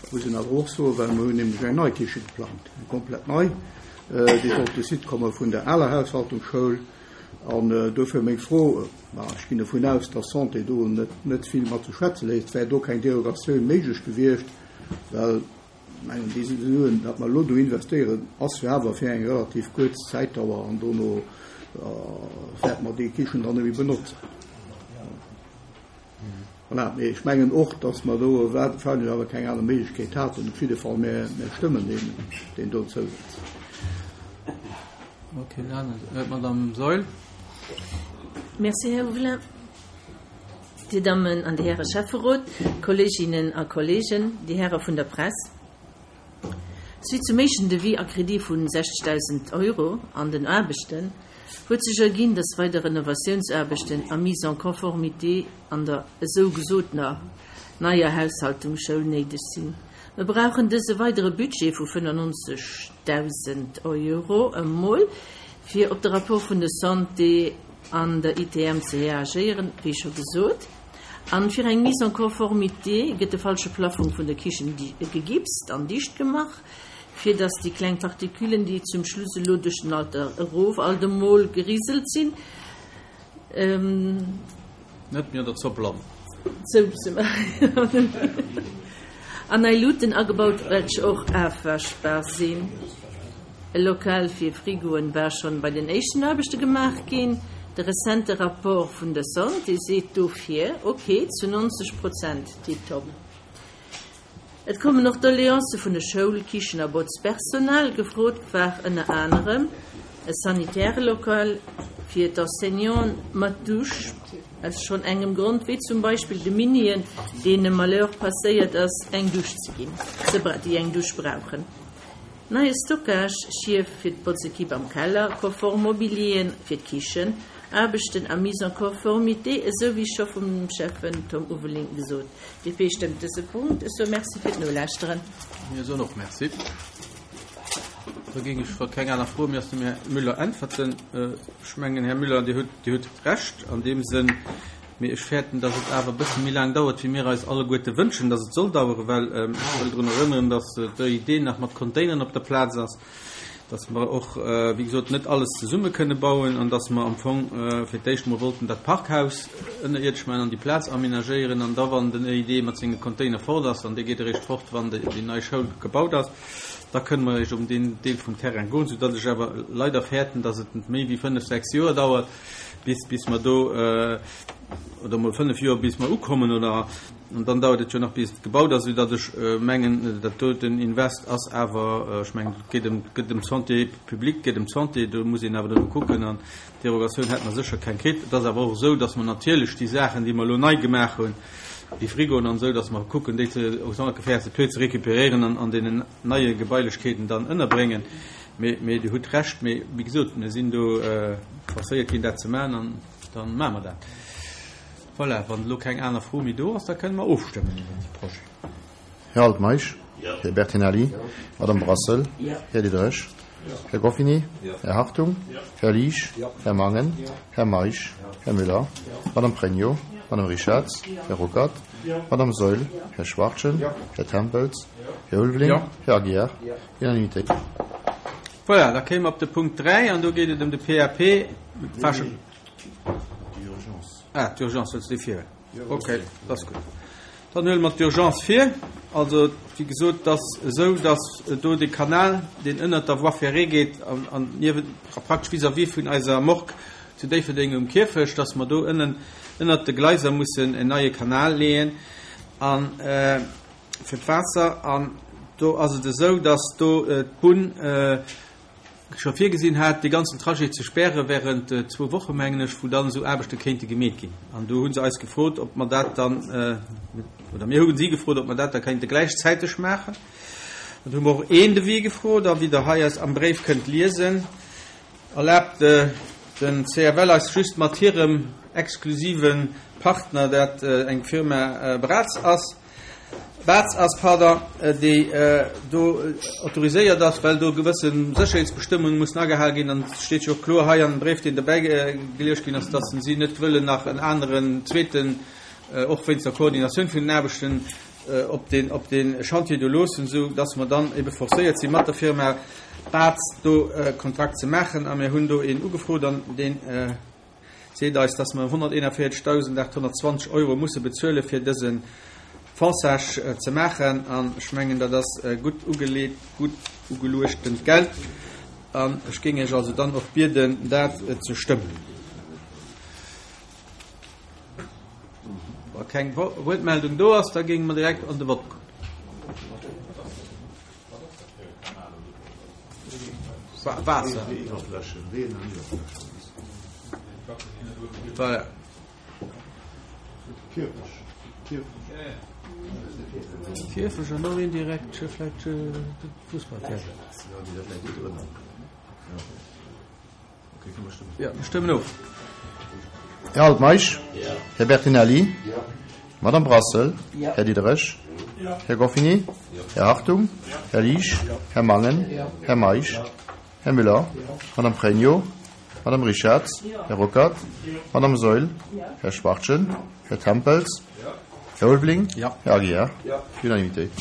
Muss een awer och soen, well mer hunn nämlech eng nei Kiche geplangt, eng komplett nei, déi soll op de Site komme vun der aler Haushaltungsschoul. An dofir meng Fro, ma ech ginn dovun aus, dass d'Santé do net, net vill mat ze schwätze léisst, wär do keng Derogatioun méiglech gewiescht? Well, ech mengen, déi Suen, dat mer elo do investéieren, ass jo awer fir eng relativ kuerz Zäitdauer an dono wäerte mer déi Kichen dann net méi benotzen. Voilà, mee ech mengen och, dass mer do wahrscheinlech awer keng aner Méiglechkeet haten. Op jidde Fall, mir, mir stëmmen deen, deen do Zousaz. Okay, dann d'Madame Saeul. Merci, Här Huvelin. Dir Dammen an Dir Häre Schäfferot, Kolleeginnen a Kolleegen, Dir Häre vun der Press. Suite zum éischten Devis a Kredit vu 60.000 Euro an den Aarbechten huet sech erginn, dass weider Renovatiounsaarbechten a Mise en conformité an der esou gesotener neier Haushaltungsschoul néideg sinn. Mer brauchen dëse weidere Budget vu 95.000 Euro emol, fir op de Rapport vun der Santé an der ITM ze reagéieren, wéi scho gesot. An fir eng Mise en conformité gëtt de falsche Plafong vun der Kichen gegipst an dicht gemach, fir dass déi kleng Particulen, déi zum Schluss elo duerch den Alter erof alt emol geriselt sinn, net méi an der Zopp landen. Zopp ze maachen. An nei Luuten agebaut, welch och afwaschbar sinn. E Lokal fir Frigoen war schonn bei den éischten Aarbechte gemaach ginn. De rezente Rapport vun der Santé seet dofir ok zu 90 Prozent tiptop. Et kommen och Doleancë vun de Schoul-, Kichen a Botzpersonal. Gefrot war ënner anerem e sanitäre Lokal fir d'Enseignanten mat Dusch, aus schonn engem Grond, wéi zum Beispill de Minien, deene Malheur passéiert ass, eng Dusch ze ginn, déi eng Dusch brauchen. Neie Stockage, Schief fir d'Botzekipp am Keller, konform Mobilieren fir d'Kichen, Aarbechten a Mise en conformité, esou wéi scho vum Schäffen Tom Uveling gesot. DP stëmmt dëse Punkt. Ech soe Merci fir d'Nolauschteren. Mir soen och Merci. Da géing ech, wa keng aner Fro méi ass, dem Här Müller äntwerten. Ech mengen, Här Müller, Dir hutt, Dir hutt Recht an deem Sënn, Mee ech fäerten, dass et awer e bësse méi laang dauert, wéi mir eis alleguerte wënschen, dass et soll daueren, well ech wëll drun erënneren, dass d'ÖID nach mat Containeren op der Plaz ass, dass mer och, wéi gesot, net alles zesumme kënne bauen an dass mer am Fong fir d'éischt emol wollten dat Parkhaus ënnerierdesch maachen an déi Plaz aménagéieren an da, wann den ÖID mat senge Container fort ass, an dee geet eréischt fort, wann déi nei Schoul gebaut ass, da kënne mer eréischt op deen Deel vum Terrain goen, soudatt ech awer leider fäerten, dass et méi wéi fënnf, sechs Joer dauert. bis, bis mer do, oder emol fënnf Joer, bis mer ukommen, oder, an dann dauert et jo nach, bis et gebaut ass, soudatt ech mengen, dat doten Invest ass awer, ech mengen, et geet ëm, et gëtt ëm d'Santé publique, et geet ëm d'Santé, do muss een awer duerno kucken, an d'Derogatioun hätte mer sécher keng kritt. Et ass awer och esou, datt mer natierlech déi Saachen, déi mer elo nei gemaach hunn, déi Frigoen an esou, datt mer kucken, déi ze, autant que faire se peut, ze récupéréieren an an deenen neie Gebailechkeeten dann ënnerbréngen. Mee, mee Dir hutt Recht, mee wéi gesot, mir sinn do forcéiert ginn, dat ze maachen, an da maache mer dat. Voilà, wann elo keng aner Fro méi do ass, da kënne mer ofstëmmen iwwert de Projet. Här Altmeisch? Här Bertinelli? Madame Brassel? Här Diderich? Här Goffini? Här Hartung? Här Liesch? Här Mangen? Här Meisch? Här Müller? Madame Pregno? Madame Richarz? Här Ruckert? Madame Saeul? Här Schwachtgen? Här Tempels? Här Ulveling? Här Aguiar? Unanimitéit. Voilà, da kéime mer op de Punkt 3 an do geet et ëm de PAP. D'Urgence. Ah, d'Urgence, wëlls du déi virhuelen? Okay, dat ass gutt. Dann huele mer d'Urgence vir. Also, wéi gesot, et ass esou, datt do dee Kanal, deen ënnert der Voie ferrée geet an, an niewent, praktesch vis-à-vis vun eiser Morgue zu Déifferdeng um Kierfecht, datt mer do ënnen ënnert de Gleiser mussen en neie Kanal leeën. An fir d'Waasser an do ass et esou, datt do d'Bunn scho virgesinn hat, dee ganzen Trajet ze späre während zwou Woche mengen ech, wou dann esou Aarbechte kéinte gemeet ginn. An do hu se eis gefrot, ob mer dat dann, oder mir hu si gefrot, ob mer dat da kéinte gläichzäiteg maachen. An do hu mer och een Devis gefrot a wéi Der hei eis am Bréif kënnt liesen, erlaabt den CFL eis just mat hirem exklusive Partner, dat eng Firma Braz ass, Baz ass, pardon, déi do autoriséiert ass, well do gewësse Sécherheetsbestëmmunge mussen agehal ginn. An et steet jo och kloer hei an dem Bréif, deen dobäi gelieft ginn ass, dass si net wëllen nach en aneren zweeten, och wéinst der Koordinatioun vun den Aarbechten. op deen, op dee Chantier do loossen, esou dass mer dann ebe forcéiert si mat der Firma Bartz do e Kontrakt ze maachen. A mir hunn do een ugefrot an deen seet eis, dass mer 141.820 Euro musse bezuele fir dëse Fonçage ze maachen. An ech mengen, dat ass gutt ugeleet, gutt ugeluechtent Geld. An ech géing Iech also dann och bieden, dat ze stëmmen. Wa keng Wuertmeldung do ass, da géinge mer direkt an de Vott goen. Waasser. Voilà. Kierfech an och indirekt vläicht de Fussballterrain. Ja, mir stëmmen of. Här Altmeisch? Här Bertinelli? Madame Brassel? Här Diderich? Här Goffini? Här Hartung? Här Liesch? Här Mangen? Här Meisch? Här Müller? Madame Pregno? Madame Richarz? Här Ruckert? Madame Saeul? Här Schwachtgen? Här Tempels? Här Ulveling? Här Aguiar? Unanimitéit.